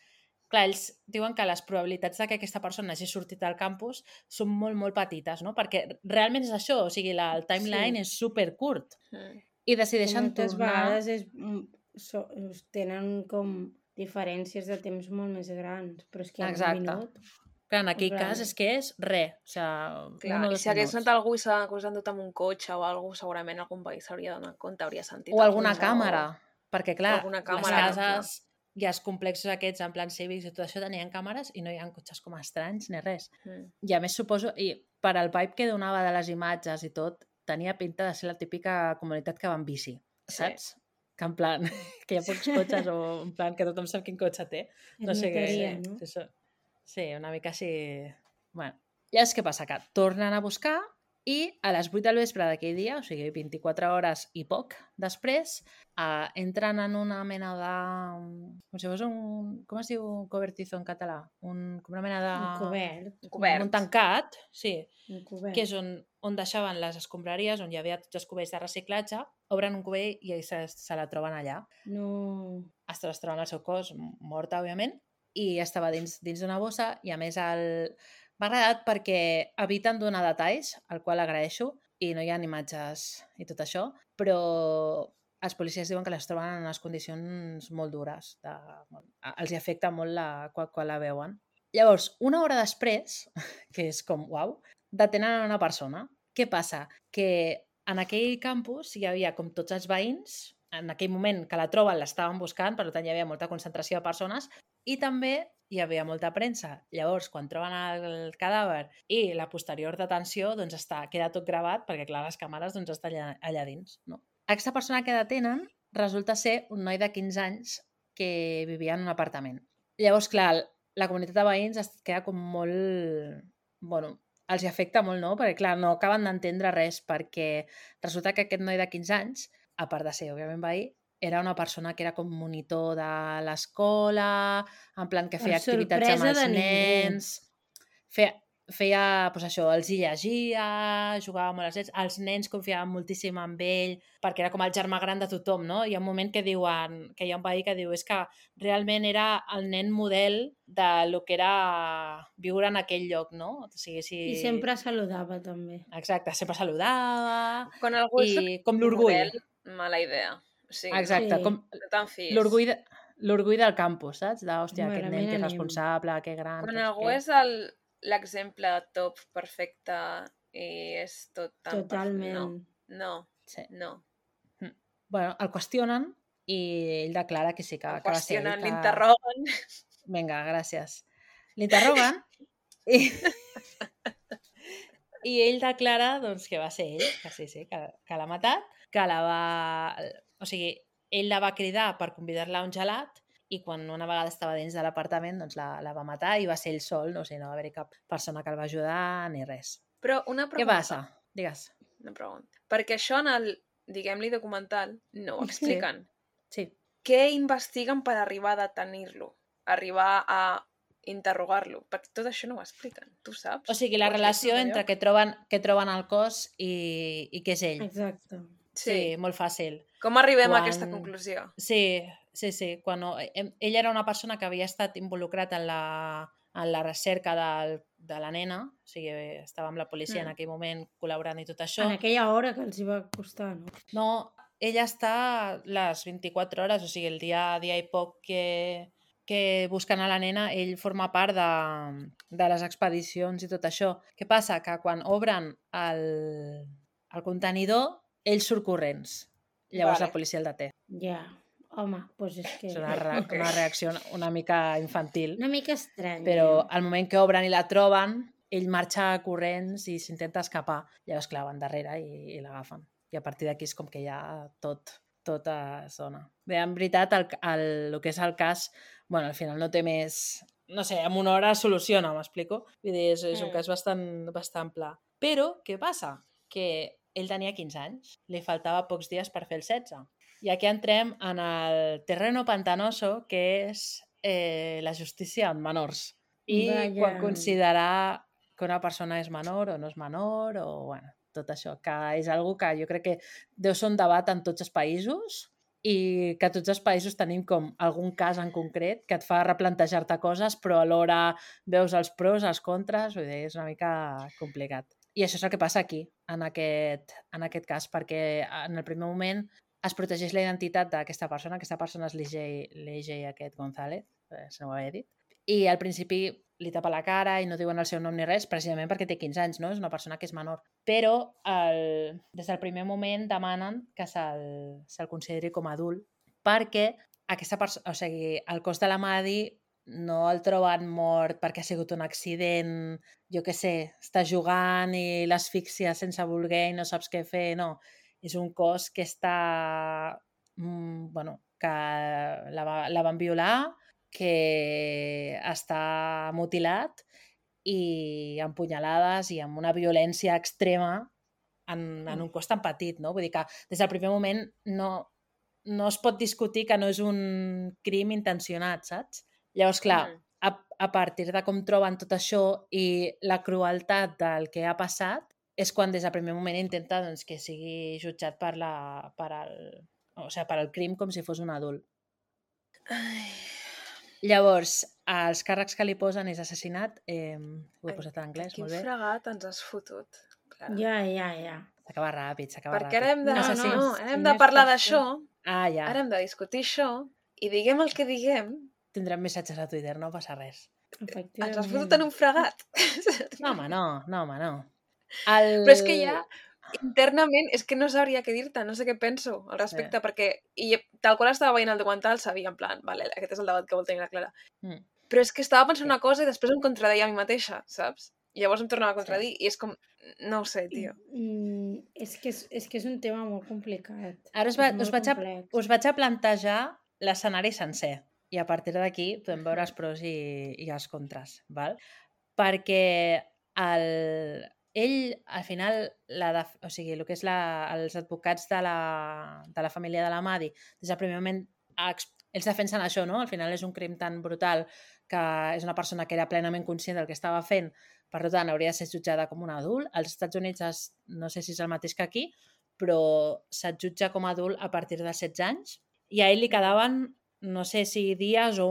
clar, ells diuen que les probabilitats de que aquesta persona hagi sortit al campus són molt, molt petites, no? Perquè realment és això, o sigui, la, el timeline Sí. és supercurt. Mm. I Que decideixen moltes tornar... vegades és, mm, so, tenen com diferències de temps molt més grans, però és que en Exacte. un minut... Clar, en aquell En plan- cas és que és res, o sigui, Clar, un o i dos si hagués minuts. anat algú i s'ha endut amb un cotxe o alguna cosa, segurament algun veí s'hauria donat compte, hauria sentit. O el alguna cotxe, càmera, perquè clar, alguna les càmera, cases i els complexos aquests en plan cívics i tot això tenien càmeres i no hi ha cotxes com estranys ni res. O... Mm. I a més suposo, i per al vibe que donava de les imatges i tot, tenia pinta de ser la típica comunitat que va en bici, Sí. saps? Que en plan, que hi ha pocs cotxes o en plan que tothom sap quin cotxe té. Es No sé què... notaria, sí. no? Sí, això- sí, una mica així... Bueno, llavors què passa? Que tornen a buscar i a les vuit del vespre d'aquell dia, o sigui, vint-i-quatre hores i poc després, eh, entren en una mena de... Com si fos un... Com es diu cobertizo en català? Un, com una mena de... Un cobert. Un cobert. Un tancat, sí, Un cobert. que és on, on deixaven les escombraries, on hi havia tots els cubells de reciclatge, obren un cubell i se, se la troben allà. No... Es es troben el seu cos, morta, òbviament, i estava dins dins d'una bossa i, a més, el... m'ha agradat perquè eviten donar detalls, el qual agraeixo, i no hi ha imatges i tot això, però els policies diuen que les troben en unes condicions molt dures. De... Els hi afecta molt la... quan, quan la veuen. Llavors, una hora després, que és com, uau, detenen a una persona. Què passa? Que en aquell campus hi havia com tots els veïns, en aquell moment que la troben l'estaven buscant, per tant hi havia molta concentració de persones, i també hi havia molta premsa. Llavors, quan troben el cadàver i la posterior detenció, doncs està, queda tot gravat, perquè clar, les càmeres doncs, estan allà, allà dins. No? Aquesta persona que detenen resulta ser un noi de quinze anys que vivia en un apartament. Llavors, clar, la comunitat de veïns es queda com molt... Bueno, els hi afecta molt, no? Perquè, clar, no acaben d'entendre res, perquè resulta que aquest noi de quinze anys, a part de ser, òbviament, veí, era una persona que era com monitor de l'escola, en plan que Per feia activitats amb sorpresa els de ningú. nens, feia, feia doncs això, els hi llegia, jugava molt als nens, els nens confiaven moltíssim en ell, perquè era com el germà gran de tothom, no? Hi ha un moment que diuen, que hi ha un veí que diu és que realment era el nen model de lo que era viure en aquell lloc, no? O sigui, si... I sempre saludava, també. Exacte, sempre saludava, Quan algú és i com l'orgull. model, mala idea. O sigui, Exacte, Sí. com no te'n fies. l'orgull de, l'orgull del campus, saps? De, hòstia, aquest Malament nen que és anem. responsable, que gran... Quan que no sé algú què. és el l'exemple top perfecte i és tot tan... perfe- Totalment. No, no, Sí. no. Bueno, el qüestionen i ell declara que sí, que, El que va ser ell. qüestionen, Que... l'interroguen. Vinga, gràcies. L'interroguen i... i ell declara doncs, que va ser ell, que sí, sí, que, que l'ha matat, que la va... O sigui, ell la va cridar per convidar-la a un gelat i quan una vegada estava dins de l'apartament doncs la, la va matar i va ser ell sol, no, o sigui, no va haver-hi cap persona que el va ajudar ni res. Però una Què pregunta. passa? Digues. Una pregunta. Perquè això en el, diguem-li, documental no ho expliquen. Sí. Què investiguen per arribar a detenir-lo? Arribar a interrogar-lo? Perquè tot això no ho expliquen, tu saps? O sigui, la Ho has relació vist en algun entre lloc? que troben, que troben el cos i, i que és ell. Exacte. Sí, Sí. molt fàcil. Com arribem Quan- a aquesta conclusió? Sí, sí, sí. Quan, ell era una persona que havia estat involucrat en la, en la recerca del, de la nena, o sigui, estava amb la policia Mm. en aquell moment col·laborant i tot això. En aquella hora que els hi va costar, no? No, ella està les vint-i-quatre hores, o sigui, el dia, dia i poc que, que busquen a la nena, ell forma part de, de les expedicions i tot això. Què passa? Que quan obren el, el contenidor, ell surt corrents. Llavors Vale. la policia el deté. Ja, home, doncs és que... És una, re Ok. una reacció una mica infantil. Una mica estranya. Però al moment que obren i la troben, ell marxa corrents i s'intenta escapar. Llavors, clar, van darrere i, i l'agafen. I a partir d'aquí és com que ja tot, tot es dona. Bé, en veritat, el, el, el que és el cas, bueno, al final no té més... No sé, en una hora es soluciona, m'explico? Vull dir, és, és un Mm. cas bastant, bastant pla. Però, què passa? Que ell tenia quinze anys, li faltava pocs dies per fer el setze. I aquí entrem en el terreno pantanoso, que és eh, la justícia en menors. I Vaja. quan considerar que una persona és menor o no és menor, o bueno, tot això, que és algo que jo crec que deu ser un debat en tots els països i que tots els països tenim com algun cas en concret que et fa replantejar-te coses, però alhora veus els pros, els contres, vull dir, és una mica complicat. I això és el que passa aquí, en aquest, en aquest cas, perquè en el primer moment es protegeix la identitat d'aquesta persona, aquesta persona és l'E J aquest González, eh, se n'ho havia dit, i al principi li tapa la cara i no diuen el seu nom ni res, precisament perquè té quinze anys, no? És una persona que és menor. Però el, des del primer moment demanen que se'l se consideri com a adult perquè aquesta persona, o sigui, el cos de la Madi no el troben mort perquè ha sigut un accident, jo què sé, està jugant i l'asfixia sense voler i no saps què fer, no. És un cos que està... Mm, bueno, que la, va, la van violar, que està mutilat i amb punyalades i amb una violència extrema en, en un cos tan petit, no? Vull dir que des del primer moment no, no es pot discutir que no és un crim intencionat, saps? Llavors, clar, Mm. a, a partir de com troben tot això i la crueltat del que ha passat, és quan des del primer moment intenta doncs, que sigui jutjat per, la, per, el, o sigui, per el crim com si fos un adult. Ai. Llavors, els càrrecs que li posen és assassinat, eh, ho he Ai, posat en anglès, Quin molt bé. fregat ens has fotut. Clara. Ja, ja, ja. S'acaba ràpid, s'acaba Perquè ràpid. ara hem de, No, no, no, no, si ara hem no de és parlar per d'això, Ah, ja. ara hem de discutir això, i diguem el que diguem, Tindrem missatges a Twitter, no passa res. Efectivament. ens has fotut en un fregat. No, home, no, no, home, no. El... Però és que ja, internament, és que no sabria què dir-te, no sé què penso al respecte, Sí. perquè i tal qual estava veient el documental, sabia en plan, vale, aquest és el debat que vol tenir la Clara. Mm. Però és que estava pensant una cosa i després em contradeia a mi mateixa, saps? I llavors em tornava a contradir, i és com, no ho sé, tio. Mm, és, que és, és que és un tema molt complicat. Ara us, va, És us, molt vaig a, complex. us vaig a plantejar l'escenari sencer i a partir d'aquí podem veure els pros i, i els contres, val? Perquè el, ell, al final, la de, o sigui, el que és la, els advocats de la, de la família de la Madi, des del primer moment ex- ells defensen això, no? Al final és un crim tan brutal que és una persona que era plenament conscient del que estava fent, per tant, hauria de ser jutjada com un adult. Als Estats Units, es, no sé si és el mateix que aquí, però se't jutja com a adult a partir dels setze anys i a ell li quedaven, no sé si dies o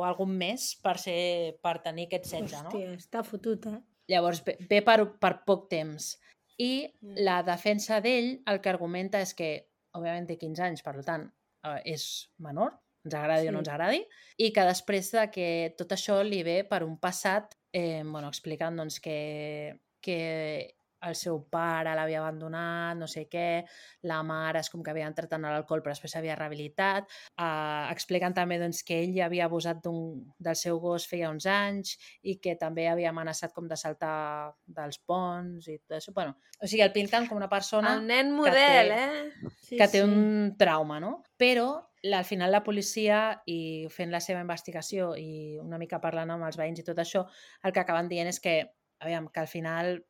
algun mes per, ser, per tenir aquest setze, no? Hòstia, està fotut, eh? Llavors ve, ve per, per poc temps. I Mm. la defensa d'ell el que argumenta és que, òbviament té quinze anys, per tant, eh, és menor, ens agradi sí. o no ens agradi, i que després de que tot això li ve per un passat, eh, bueno, explicant doncs, que, que el seu pare l'havia abandonat, no sé què, la mare és com que havia entrat en l'alcohol però després s'havia rehabilitat, eh, explicant també doncs, que ell ja havia abusat del seu gos feia uns anys i que també havia amenaçat com de saltar dels ponts i tot això. Bueno, o sigui, el pinten com una persona El nen model, té, eh? Sí, que té sí. un trauma, no? Però la, al final la policia, i fent la seva investigació i una mica parlant amb els veïns i tot això, el que acaben dient és que, aviam, que al final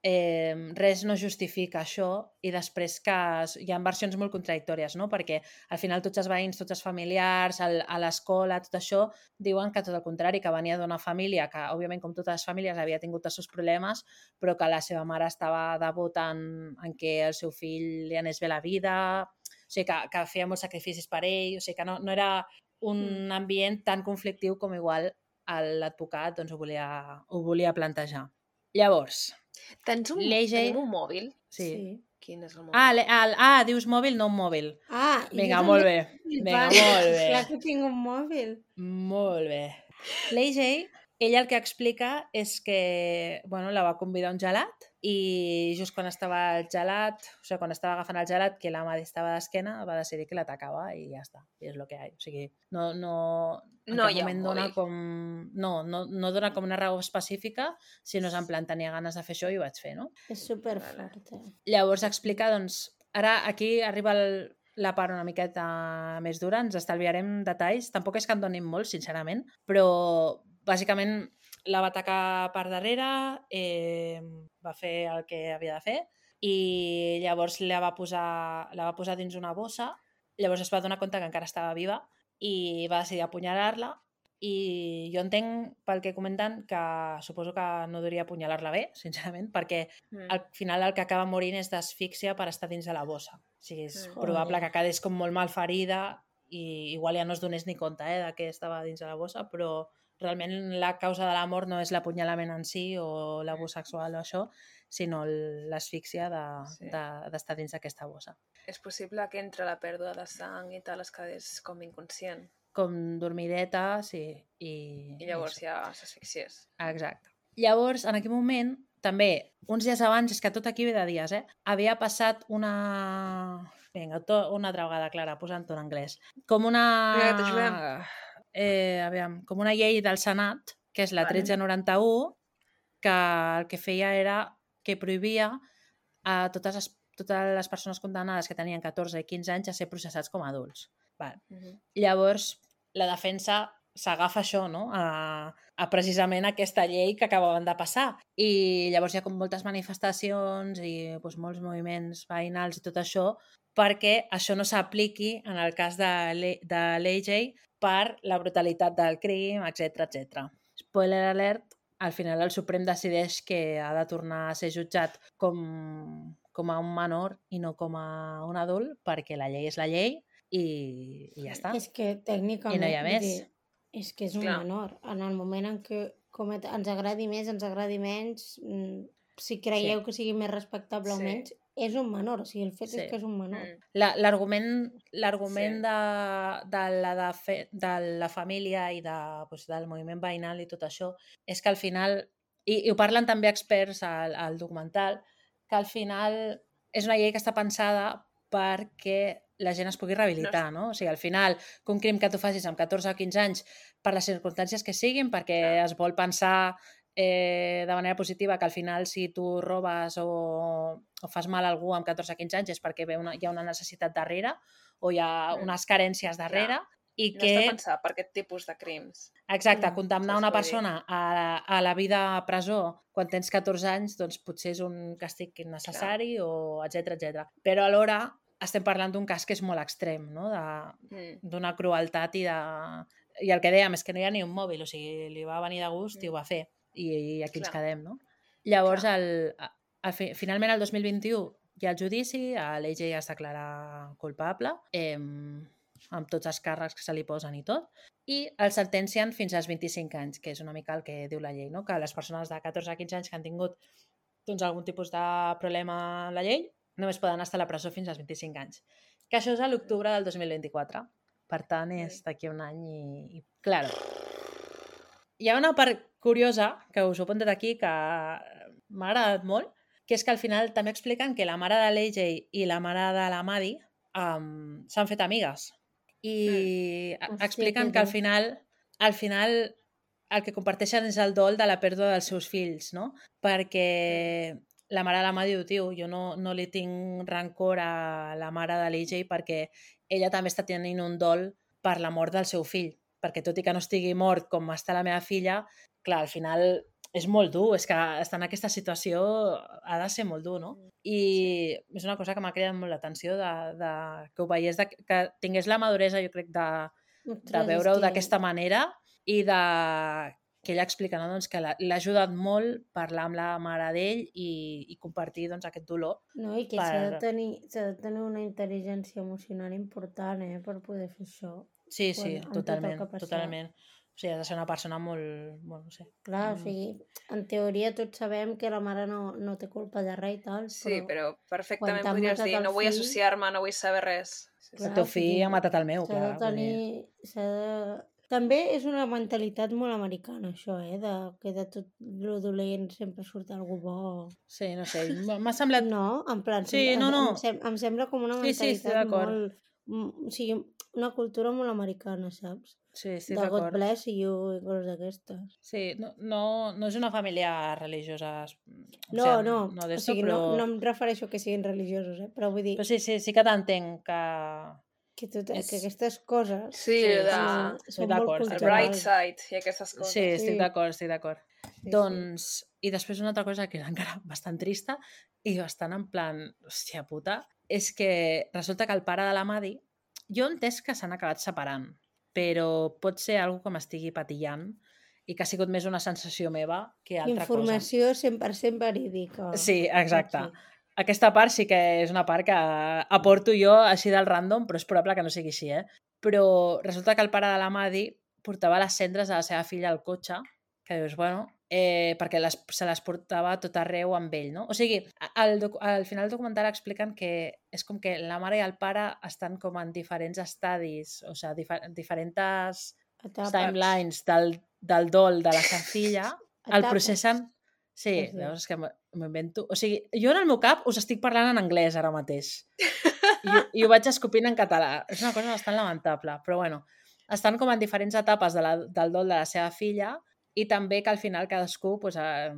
eh, res no justifica això i després que es, hi ha versions molt contradictòries, no? Perquè al final tots els veïns, tots els familiars, el, a l'escola, tot això, diuen que tot el contrari, que venia d'una família que, òbviament, com totes les famílies, havia tingut els seus problemes, però que la seva mare estava devota en, en que el seu fill li anés bé la vida, o sigui, que, que feia molts sacrificis per ell, o sigui, que no, no era un ambient tan conflictiu com igual l'advocat doncs, ho, volia, ho volia plantejar. Llavors, Tens un, l'A J... tenim un mòbil? Sí. Sí. Quin és el mòbil? Ah, le, el, ah, dius mòbil, no un mòbil. Ah, Vinga, jo molt també. bé. Vinga, molt bé. Clar que tinc un mòbil. Molt bé. L'A J, ella el que explica és que bueno, la va convidar a un gelat i just quan estava el gelat, o sigui, quan estava agafant el gelat, que la Madi estava d'esquena, va decidir que l'atacava i ja està. I és el que hi ha. O sigui, no, no, en No cap hi ha moment un dona mòbil. com... No, no, no dona com una raó específica, sinó és en plan, tenia ganes de fer això i ho vaig fer, no? És superfort, eh? Llavors explica, doncs, ara aquí arriba el, la part una miqueta més dura, ens estalviarem detalls, tampoc és que en donin molt, sincerament, però bàsicament la va atacar per darrere, eh, va fer el que havia de fer i llavors la va posar, la va posar dins una bossa, llavors es va donar compte que encara estava viva i va decidir apunyalar-la i jo entenc pel que comenten que suposo que no hauria apunyalar-la bé, sincerament, perquè Mm. al final el que acaba morint és d'asfíxia per estar dins de la bossa. O sigui, és Mm. probable Joder. que quedés com molt mal ferida i igual ja no es donés ni compte eh, de que estava dins de la bossa, però realment la causa de la mort no és l'apunyalament en si o l'abús sexual o això, sinó l'asfíxia Sí. d'estar de, de, dins d'aquesta bossa. És possible que entre la pèrdua de sang i tal es quedés com inconscient Com dormideta, sí. I, i llavors i ja s'asfixiés. Exacte. Llavors, en aquell moment, també, uns dies abans, és que tot aquí ve de dies, eh? Havia passat una... Vinga, to... una altra vegada, Clara, posant-ho en anglès. Com una... Vinga, que t'ajudem. Eh, aviam, com una llei del Senat, que és la Vale. tretze noranta-u, que el que feia era que prohibia a totes les, totes les persones condemnades que tenien catorze i quinze anys a ser processats com a adults. Vale. Uh -huh. Llavors, la defensa s'agafa això, no? A, a precisament aquesta llei que acabaven de passar. I llavors hi ha com moltes manifestacions i doncs, molts moviments veïnals i tot això perquè això no s'apliqui en el cas de l'A J per la brutalitat del crim, etcètera etcètera. Spoiler alert, al final el Suprem decideix que ha de tornar a ser jutjat com, com a un menor i no com a un adult perquè la llei és la llei i, i ja està. És que tècnicament... I no hi ha vull més. dir, és que és un Clar. menor. En el moment en què comet... ens agradi més, ens agradi menys, mm, si creieu Sí. que sigui més respectable o Sí. menys, és un menor. O sigui, el fet Sí. és que és un menor. Mm. La- L'argument l'argument Sí. de, de, la, de, fe, de la família i de, doncs, del moviment veïnal i tot això és que al final, i, i ho parlen també experts al, al documental, que al final és una llei que està pensada perquè la gent es pugui rehabilitar, no? O sigui, al final, que un crim que tu facis amb catorze o quinze anys per les circumstàncies que siguin, perquè Clar. es vol pensar eh, de manera positiva que al final si tu robes o, o fas mal a algú amb catorze o quinze anys és perquè ve una, hi ha una necessitat darrere o hi ha Mm. unes carències darrere i No que... està pensat per aquest tipus de crims. Exacte, Clar, condemnar saps una què vull dir? persona a, a la vida a presó quan tens catorze anys, doncs potser és un càstig innecessari o etcètera etcètera. Però alhora estem parlant d'un cas que és molt extrem, no? De, Mm. d'una crueltat i de... I el que dèiem és que no hi ha ni un mòbil, o sigui, li va venir de gust i ho va fer. I, i aquí ens Clar. quedem, no? Llavors, Clar. el, el, fi- finalment, el dos mil vint-i-u hi ha el judici, l'A J es declara culpable, eh, amb tots els càrrecs que se li posen i tot, i el sentencien fins als vint-i-cinc anys, que és una mica el que diu la llei, no? Que les persones de catorze a quinze anys que han tingut doncs, algun tipus de problema amb la llei només poden estar a la presó fins als vint-i-cinc anys. Que això és a l'octubre del dos mil vint-i-quatre. Per tant, és d'aquí un any i... i claro. Hi ha una part curiosa, que us ho he apuntat aquí, que m'ha agradat molt, que és que al final també expliquen que la mare de l'A J i la mare de la Maddie um, s'han fet amigues. I mm. Hòstia, expliquen que que al dur. final, al final el que comparteixen és el dol de la pèrdua dels seus fills, no? Perquè la mare de la Maddie diu, tio, jo no, no li tinc rancor a la mare de l'A J perquè ella també està tenint un dol per la mort del seu fill, perquè tot i que no estigui mort com està la meva filla, clar, al final és molt dur, és que estar en aquesta situació ha de ser molt dur, no? I sí. És una cosa que m'ha cridat molt l'atenció de, de, que ho veiés, de, que tingués la maduresa, jo crec, de, de Ostres, veure-ho és que- d'aquesta manera i de que ella explica, no? Doncs que l'ha l'ha ajudat molt parlar amb la mare d'ell i, i compartir doncs, aquest dolor. No, i que per- s'ha de, tenir, s'ha de tenir una intel·ligència emocional important, eh, per poder fer això. Sí, sí, Quan- amb tot el totalment, que ha passat. totalment. O sigui, has de ser una persona molt... Bueno, no sé. Clar, o Mm. sigui, en teoria tots sabem que la mare no, no té culpa de res i tal, Sí, però... però perfectament t'han podries matat dir el no vull fill- associar-me, no vull saber res. Sí, El sí. teu o fill sigui, ha matat el meu, S'ha clar. de tenir... S'ha de... També és una mentalitat molt americana, això, eh? De, que de tot lo dolent sempre surt algú bo. Sí, no sé, m- m'ha semblat... No, en plan, Sí, sempre- no, no. Em, sem em sembla com una Sí, sí, estic mentalitat d'acord. molt... mm, O sigui, una cultura molt americana, saps? Sí, estic De God d'acord. bless you i coses d'aquestes. Sí, no, no, no és una família religiosa. O No, sigui, no, no o d'esto, sigui, però... no, no em refereixo que siguin religiosos, eh? Però vull dir Però sí, sí, sí que t'entenc que... que, tot, és- que aquestes coses Sí, Sí, de... eh, estic són molt d'acord, el estic bright culturals. side i aquestes coses. Sí, estic Sí. d'acord, estic d'acord. Sí, Doncs, i després una altra cosa que és encara bastant trista i bastant en plan, hòstia puta, és que resulta que el pare de la Madi, jo he entès que s'han acabat separant, però pot ser algo que m'estigui patillant i que ha sigut més una sensació meva que altra Informació cent per cent verídica. cosa. Sí, exacte. Aquí. Aquesta part sí que és una part que aporto jo així del random, però és probable que no sigui així, eh? Però resulta que el pare de la Madi portava les cendres de la seva filla al cotxe, que dius, bueno, eh, perquè les, se les portava a tot arreu amb ell, no? O sigui, al, docu al final del documental expliquen que és com que la mare i el pare estan com en diferents estadis, o sigui, difer diferents Etapes. timelines del, del dol de la seva filla, el Etapes. processen... Sí, Sí, sí. veus, és que m'invento... O sigui, jo en el meu cap us estic parlant en anglès ara mateix. I, ho- i ho vaig escopint en català. És una cosa bastant lamentable, però bueno. Estan com en diferents etapes de la, del dol de la seva filla i també que al final cadascú pues, eh,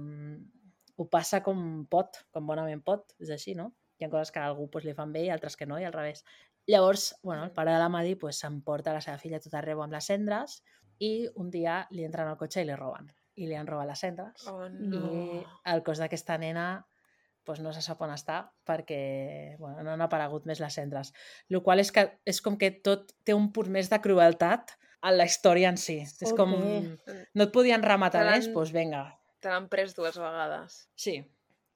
ho passa com pot, com bonament pot. És així, no? Hi ha coses que a algú pues, li fan bé i altres que no, i al revés. Llavors, bueno, el pare de la Madi pues, s'emporta la seva filla a tot arreu amb les cendres i un dia li entren al cotxe i li roben. I li han robat les cendres. Oh, No. I el cos d'aquesta nena pues, no se sap on està perquè bueno, no han aparegut més les cendres. El qual és que és com que tot té un punt més de crueltat a la història en si. És com... Joder. No et podien rematar Te l'han- més? Doncs vinga. Te l'han pres dues vegades. Sí,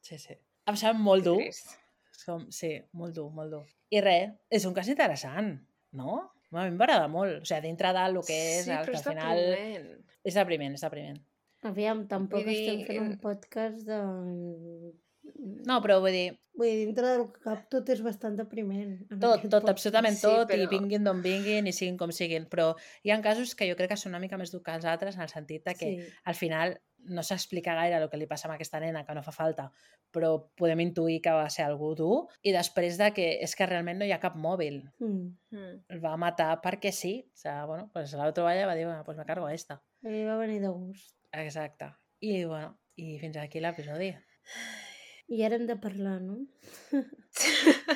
sí, sí. Em sembla molt Que dur. trist. Com... Sí, molt dur, molt dur. I res, és un cas interessant, no? A mi m'agrada molt. O sigui, dintre del que és, Sí, el però que és al final... depriment. És depriment, és depriment. Aviam, tampoc Vull dir, estem fent un eh, podcast de... No, però vull dir, Vull dir, dintre del cap tot és bastant depriment. en tot, aquest tot, podcast. absolutament Sí, tot, però- i vinguin d'on vinguin, i siguin com siguin. Però hi ha casos que jo crec que són una mica més durs que els altres, en el sentit de que Sí. al final no s'explica gaire el que li passa a aquesta nena, que no fa falta, però podem intuir que va ser algú dur, i després de que és que realment no hi ha cap mòbil. Mm. Mm. El va matar perquè sí. O sigui, bueno, pues la otra valla va dir, bueno, pues me cargo a esta. Li va venir de gust. Exacte. I, bueno, i fins aquí l'episodi. I ara hem de parlar, no?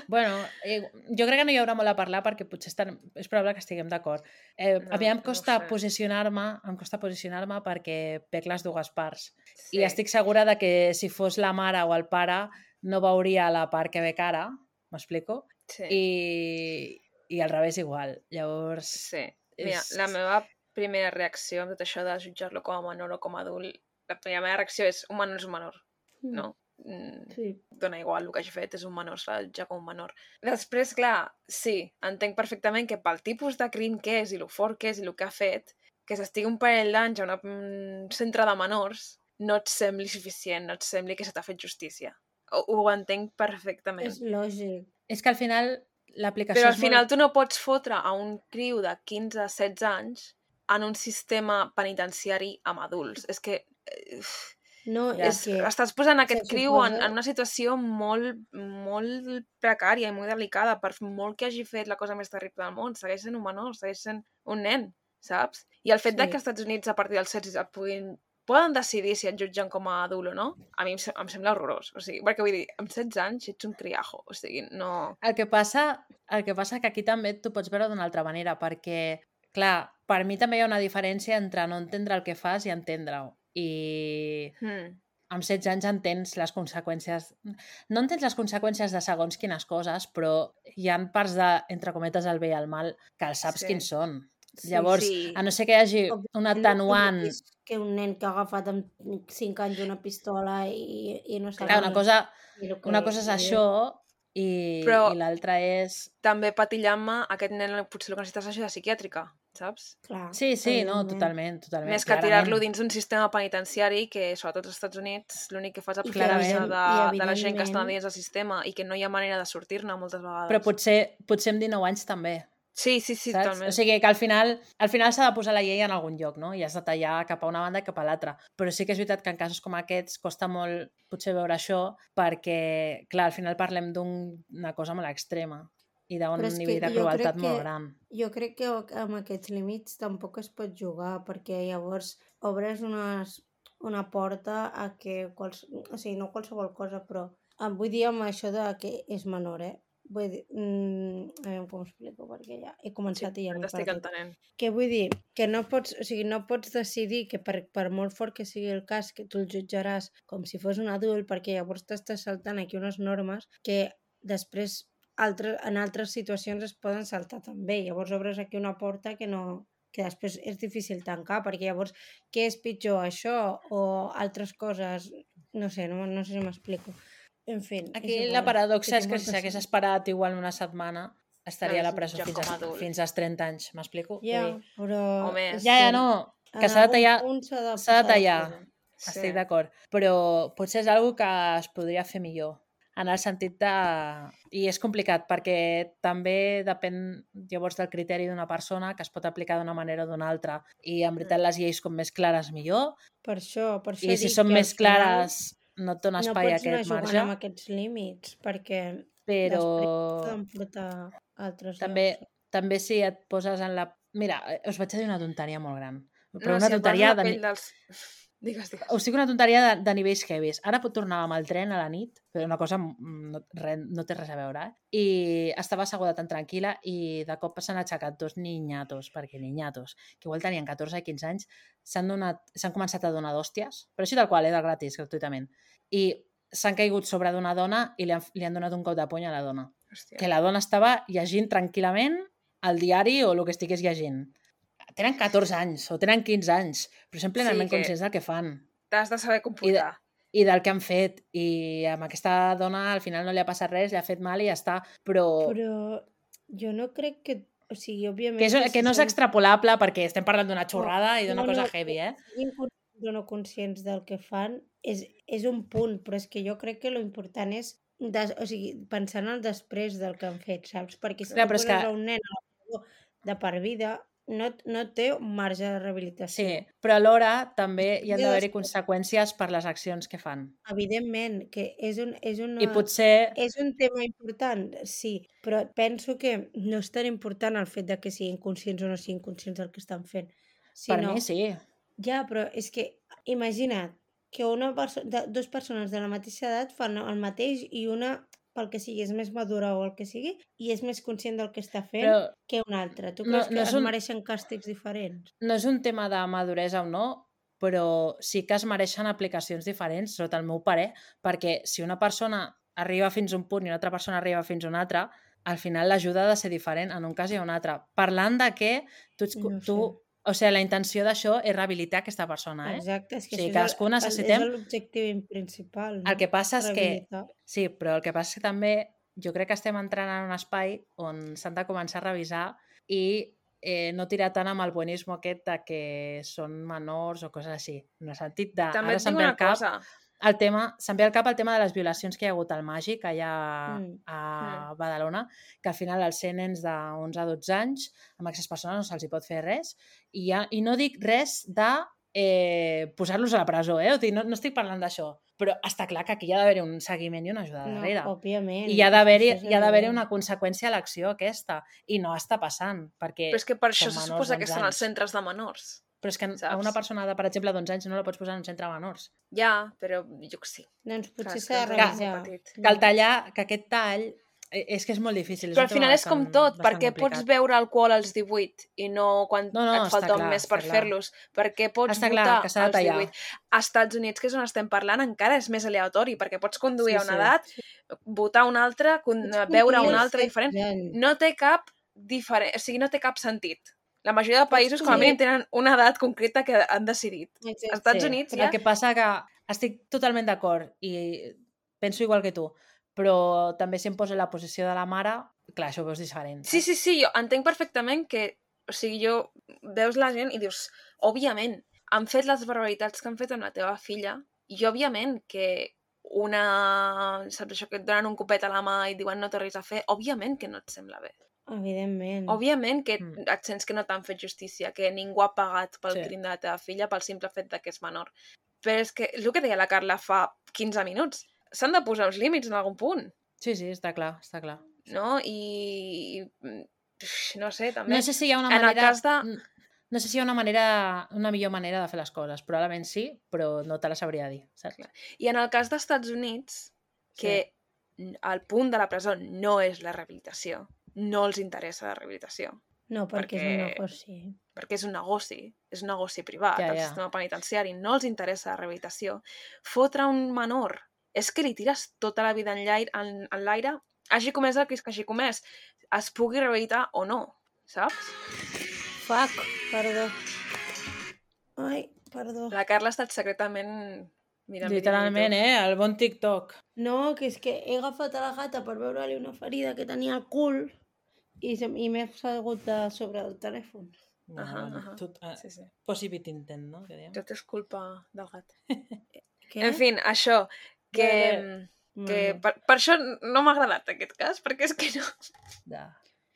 Bueno, eh, jo crec que no hi haurà molt a parlar perquè potser estan, és probable que estiguem d'acord. Eh, No, a mi em no costa ho sé. posicionar-me, em costa posicionar-me perquè veig les dues parts. Sí. I estic segura de que si fos la mare o el pare no veuria la part que veig ara, m'explico? Sí. I, I al revés igual. Llavors... Sí. Mira, és- la meva primera reacció amb tot això de jutjar-lo com a menor o com a adult, la meva reacció és un menor és un menor, no? Mm, Sí. dona igual el que hagi fet, és un menor, s'ha de jutjar com un menor. Després, clar, sí, entenc perfectament que pel tipus de crim que és i lo fort que és i el que ha fet, que s'estigui un parell d'anys a una- un centre de menors, no et sembli suficient, no et sembli que se t'ha fet justícia. Ho, ho entenc perfectament. És lògic. És que al final l'aplicació Però al és final molt... tu no pots fotre a un criu de quinze a setze anys en un sistema penitenciari amb adults. És que eh, No, Ja. és és, que... estàs posant aquest se criu en, suposa- en una situació molt, molt precària i molt delicada. Per molt que hagi fet la cosa més terrible del món, segueix sent un menor, segueix sent un nen, saps? I el fet Sí. de que als Estats Units a partir dels setze et puguin poden decidir si et jutgen com a adult o no, a mi em, se- em sembla horrorós. O sigui, perquè vull dir, amb setze anys ets un criajo. O sigui, no... El que passa, el que passa que aquí també tu pots veure d'una altra manera, perquè, clar, per mi també hi ha una diferència entre no entendre el que fas i entendre-ho. I Hmm. amb setze anys entens les conseqüències... No entens les conseqüències de segons quines coses, però hi ha parts de, entre cometes, el bé i el mal que els saps Sí. quins són. Sí, Llavors, sí. a no ser que hi hagi un atenuant... No és que un nen que ha agafat amb cinc anys una pistola i, i no sap... Clar, una cosa, i el que- una cosa és això i, Però- i l'altra és... També patillant-me, aquest nen potser el que necessita és ajuda psiquiàtrica. saps? Clar, Sí, sí, no, evidentment. totalment, totalment. Més que clarament. tirar-lo dins d'un sistema penitenciari que, sobretot als Estats Units, l'únic que fa és I que aprofitar-se Clarament. de, evident- i de la gent que està evidentment- dins del sistema i que no hi ha manera de sortir-ne moltes vegades. Però potser, potser amb dinou anys també. Sí, sí, sí, Saps? totalment. O sigui que al final al final s'ha de posar la llei en algun lloc, no? I has de tallar cap a una banda i cap a l'altra. Però sí que és veritat que en casos com aquests costa molt potser veure això perquè, clar, al final parlem d'una cosa molt extrema i d'un Però és que nivell de jo crec crueltat molt que- gran. Jo crec que amb aquests límits tampoc es pot jugar, perquè llavors obres unes, una porta a que, quals, o sigui, no qualsevol cosa, però em vull dir amb això de que és menor, eh? Vull dir, mm, a veure com ho explico, perquè ja he Sí, començat i ja ja m'he t'estic perdut. entenent. Què vull dir? Que no pots, o sigui, no pots decidir que per, per molt fort que sigui el cas, que tu el jutjaràs com si fos un adult, perquè llavors t'estàs saltant aquí unes normes que després altres, en altres situacions es poden saltar també. Llavors obres aquí una porta que no que després és difícil tancar, perquè llavors què és pitjor, això o altres coses? No sé, no, no sé si m'explico. En fi, Aquí és igual. la paradoxa Que és tinc que si molta s'hagués son. esperat igual una setmana estaria a la Hagués presó jutjat fins, com a a, adult. fins als trenta anys, m'explico? Ja, Vull dir, però... O més. és Ja, ja, que no, en que s'ha de algun tallar, punt s'ha de s'ha de posar tallar, cura. Sí. estic d'acord, però potser és una que es podria fer millor, en el sentit de... I és complicat, perquè també depèn llavors del criteri d'una persona, que es pot aplicar d'una manera o d'una altra, i en veritat Mm. les lleis com més clares millor, Per això, per això i si dic són que al més final clares no et dona no espai a pots anar aquest jugant marge, amb aquests límits, perquè però després poden portar a altres també, llocs. també si et poses en la... Mira, eh, us vaig a dir una tonteria molt gran, però No, una si em poso tonteria la de... pell ni- dels... Digues, digues. Us dic una tonteria de, de nivells heavies. Ara pot tornar amb el tren a la nit, però una cosa mm, no, re, no té res a veure, eh? I estava asseguda tan tranquil·la i de cop s'han aixecat dos niñatos, perquè niñatos, que igual tenien catorze i quinze anys, s'han donat, s'han començat a donar d'hòsties, però així tal qual, eh, de gratis, gratuïtament. I s'han caigut sobre d'una dona i li han, li han donat un cop de puny a la dona. Hòstia. Que la dona estava llegint tranquil·lament el diari o el que estigués llegint. Tenen catorze anys o tenen quinze anys, però són plenament Sí, que- conscients del que fan T'has de saber comportar. i del que han fet. I amb aquesta dona al final no li ha passat res, li ha fet mal i ja està. Però, Però jo no crec que... O sigui, òbviament... que, és, que si no és són- extrapolable perquè estem parlant d'una xorrada i d'una no, cosa no, heavy, eh? que siguin conscients o no conscients del que fan és, és un punt, però és que jo crec que lo important és des, o sigui, pensar en el després del que han fet, saps? Perquè si Clar, tu però és poses que- a un nen a la presó de per vida, no, no té un marge de Sí, rehabilitació. però alhora també hi han Ja d'haver-hi després- conseqüències per les accions que fan. Evidentment, que és un, és una... I potser... És un tema important, sí, però penso que no és tan important el fet de que siguin conscients o no siguin conscients del que estan fent. Per Sinó, mi sí. Ja, però és que imagina't que una perso de, dues persones de la mateixa edat fan el mateix i una, pel que sigui, és més madura o el que sigui, i és més conscient del que està fent Però que una altra. Tu no- creus no que és es un- mereixen càstigs diferents? no és un tema de maduresa o no, però sí que es mereixen aplicacions diferents, sota el meu parer, perquè si una persona arriba fins a un punt i una altra persona arriba fins a un altre, al final l'ajuda ha de ser diferent en un cas i en un altre. Parlant de que tu, ets, No tu sé. o sigui, la intenció d'això és rehabilitar aquesta persona, eh? Exacte, és que O sigui, això cadascú és el- necessitem- és l'objectiu principal. No? El que passa és que... Rehabilitar. Sí, però el que passa és que també jo crec que estem entrant en un espai on s'han de començar a revisar i eh, no tirar tant amb el buenisme aquest de que són menors o coses així. En el sentit de... També ara et se'm dic ve una al cap cosa. el tema, se'm ve al cap el tema de les violacions que hi ha hagut al Màgic allà Mm. a Badalona, que al final els ser nens d'onze a dotze anys, amb aquestes persones no se'ls hi pot fer res, i, ja, i no dic res de eh, posar-los a la presó, eh? O sigui, no, no estic parlant d'això, però està clar que aquí hi ha d'haver un seguiment i una ajuda No, darrere. òbviament. I hi ha d'haver-hi això és hi ha d'haver-hi evident. una conseqüència a l'acció aquesta, i no està passant, perquè Però és que per això són se menors suposa que d'onze estan als anys. centres de menors. Però és que a saps? una persona de, per exemple, d'onze anys no la pots posar en un centre de menors. Ja, però jo que sí. Doncs potser Clar, és s'ha de que encara és molt revisar. petit. Que el tallar, que aquest tall, eh, és que és molt difícil. És Però un al final tema és com bastant- tot, bastant perquè pots complicat. beure alcohol als divuit i no quan No, no, et falta està un clar, mes per està clar. fer-los. Perquè pots Està clar, votar que s'ha de als tallar. divuit. Als Estats Units, que és on estem parlant, encara és més aleatori, perquè pots conduir Sí, a una sí. edat, votar a una altra, con- Pots beure a conduir una als altra diferent. setze anys. No té cap diferent, o sigui, no té cap sentit. La majoria de països, com a conduir- mínim, tenen una edat concreta que han decidit. Exacte. Als Estats Sí, Units però ja... el que passa que estic totalment d'acord i penso igual que tu, però també si em poso en la posició de la mare, clar, això ho veus diferent. Sí, saps? sí, sí, jo entenc perfectament que O sigui, jo... Veus la gent i dius, òbviament, han fet les barbaritats que han fet amb la teva filla i òbviament que una... Saps això, que et donen un copet a la mà i diuen no té res a fer? Òbviament que no et sembla bé. Evidentment. Òbviament que Mm. et sents que no t'han fet justícia, que ningú ha pagat pel Sí. crim de la teva filla pel simple fet de que és menor. Però és que, és el que deia la Carla fa quinze minuts, s'han de posar uns límits en algun punt, Sí, sí, està clar, està clar. no? I... i no sé, també... No sé si hi ha una En el manera... cas de- No sé si hi ha una manera, una millor manera de fer les coses. Probablement sí, però no te la sabria dir, saps? Clar. I en el cas dels Estats Units, que el punt de la presó no és la rehabilitació, no els interessa la rehabilitació, No, perquè, perquè- és un negoci. perquè és un negoci, és un negoci privat, Ja, el ja. sistema penitenciari, no els interessa la rehabilitació. Fotre un menor és que li tires tota la vida en l'aire, en, en l'aire, hagi comès el que hagi comès, es pugui rehabilitar o no, saps? Fuck, perdó. Ai, perdó. La Carla ha estat secretament mirant Literalment, vídeos eh? El bon TikTok. No, que és que he agafat a la gata per veure-li una ferida que tenia al cul i, se- i m'he salgut de sobre del telèfon. Bueno, Ahà, bueno, ahà. tot, eh, Sí, sí. Possibit intent, no? Que diem. Tot és culpa del gat. Què? En fi, això, que... Bé, que Bueno, per, per això no m'ha agradat aquest cas, perquè és que no... Ja.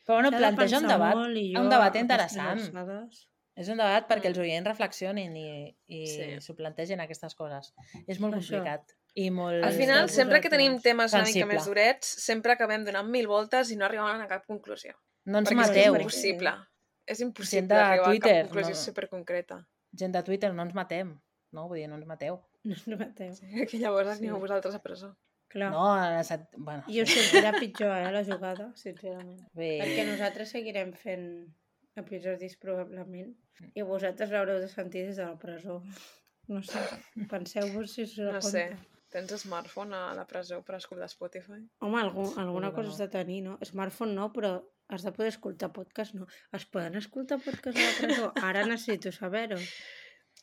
Però bueno, s'ha de planteja un pensar debat, molt i un jo, debat a interessant. aquestes alçades- És un debat perquè Mm. els oients reflexionin i, i Sí. s'ho plantegin aquestes coses. És molt Això. complicat. I molt... Al Els final, de sempre que tenim vosaltres. temes una mica Sensible. més durets, sempre acabem donant mil voltes i no arribem a cap conclusió. No ens perquè és que mateu. és impossible. És impossible de arribar Twitter, a cap conclusió no. superconcreta. Gent de Twitter, no ens matem. No, vull dir, no ens mateu. No us mateu. Que llavors Sí. aneu vosaltres a presó. Clar. No, a la set... bueno, I us sortirà pitjor, eh, la jugada, sincerament. bé. Perquè nosaltres seguirem fent episodis probablement i vosaltres l'haureu de sentir des de la presó. No sé, penseu-vos si us No compte. sé. Tens smartphone a la presó per escoltar Spotify? Home, algun, alguna que cosa no. has de tenir, no? Smartphone no, però has de poder escoltar podcast, no? Es poden escoltar podcast a la presó? Ara necessito saber-ho.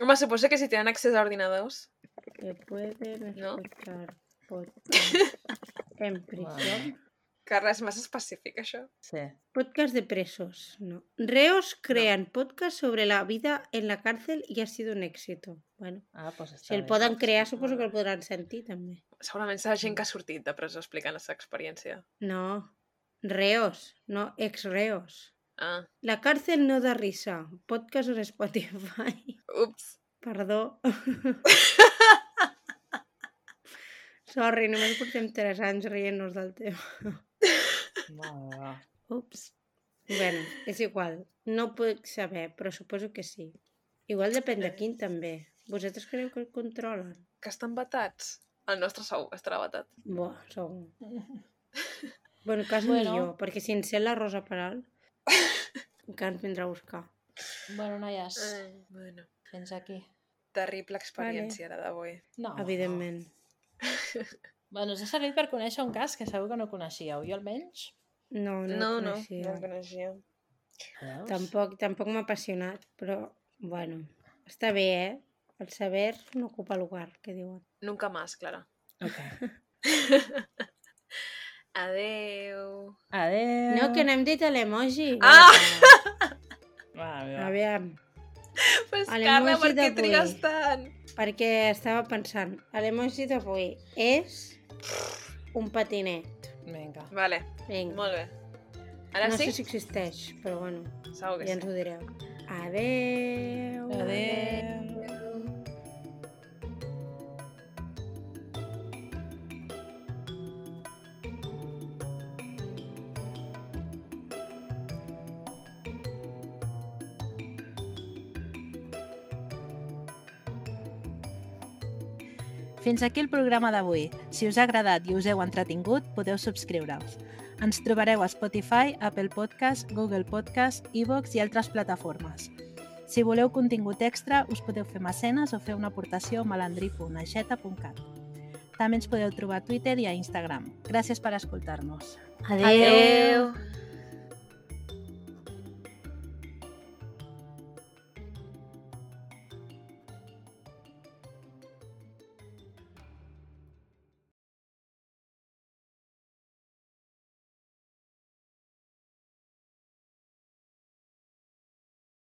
Home, suposo que si tenen accés a ordinadors. Que pueden No. escuchar podcast en prisión. Carla, és massa específic, això. Sí. Podcast de presos, no. Reos crean podcast sobre la vida en la cárcel y ha sido un éxito. Bueno, Ah, doncs està si el bé. poden crear, suposo que el podran sentir, també. Segurament serà gent que ha sortit de presó explicant la seva experiència. No, reos, no ex-reos. Ah, La cárcel no da risa. Podcast en Spotify. ups. Perdó. Sorry, només portem tres anys rient-nos del tema. Va, va, va. Ups. Bueno, és igual. No puc saber, però suposo que sí. Igual depèn de quin, també. Vosaltres creieu que el controlen? Que estan batats. El nostre sou estarà batat. Buah, segur. Bueno, quasi Bueno. millor, perquè si encén la Rosa Peral, encara ens vindrà a buscar. Bueno, noies, Ai, bueno. fins aquí. Terrible experiència, la d'avui. No. Evidentment. Bueno, us ha servit per conèixer un cas que segur que no coneixíeu. Jo almenys. No, no, No, el no, coneixia. no el coneixia. Veus? Tampoc, tampoc m'ha apassionat, però, bueno, està bé, eh? El saber no ocupa lugar, que diuen. Nunca más, Clara. Ok. Adeu. Adéu. No, que no hem dit l'emoji. Ah! Va, va. Aviam, Pues A Carla, l'emoji per què d'avui. trigues tant? perquè estava pensant, l'emoji d'avui és un patinet. Vinga. Vale, Vinga. molt bé. Ara No sí? sé si existeix, però bueno, Segur que ja sí. ens ho direu. Adeu. Adéu. Fins aquí el programa d'avui. Si us ha agradat i us heu entretingut, podeu subscriure-us. Ens trobareu a Spotify, Apple Podcast, Google Podcast, iVoox i altres plataformes. Si voleu contingut extra, us podeu fer mecenes o fer una aportació a malandrí punt aixeta punt cat. També ens podeu trobar a Twitter i a Instagram. Gràcies per escoltar-nos. Adéu. Adeu.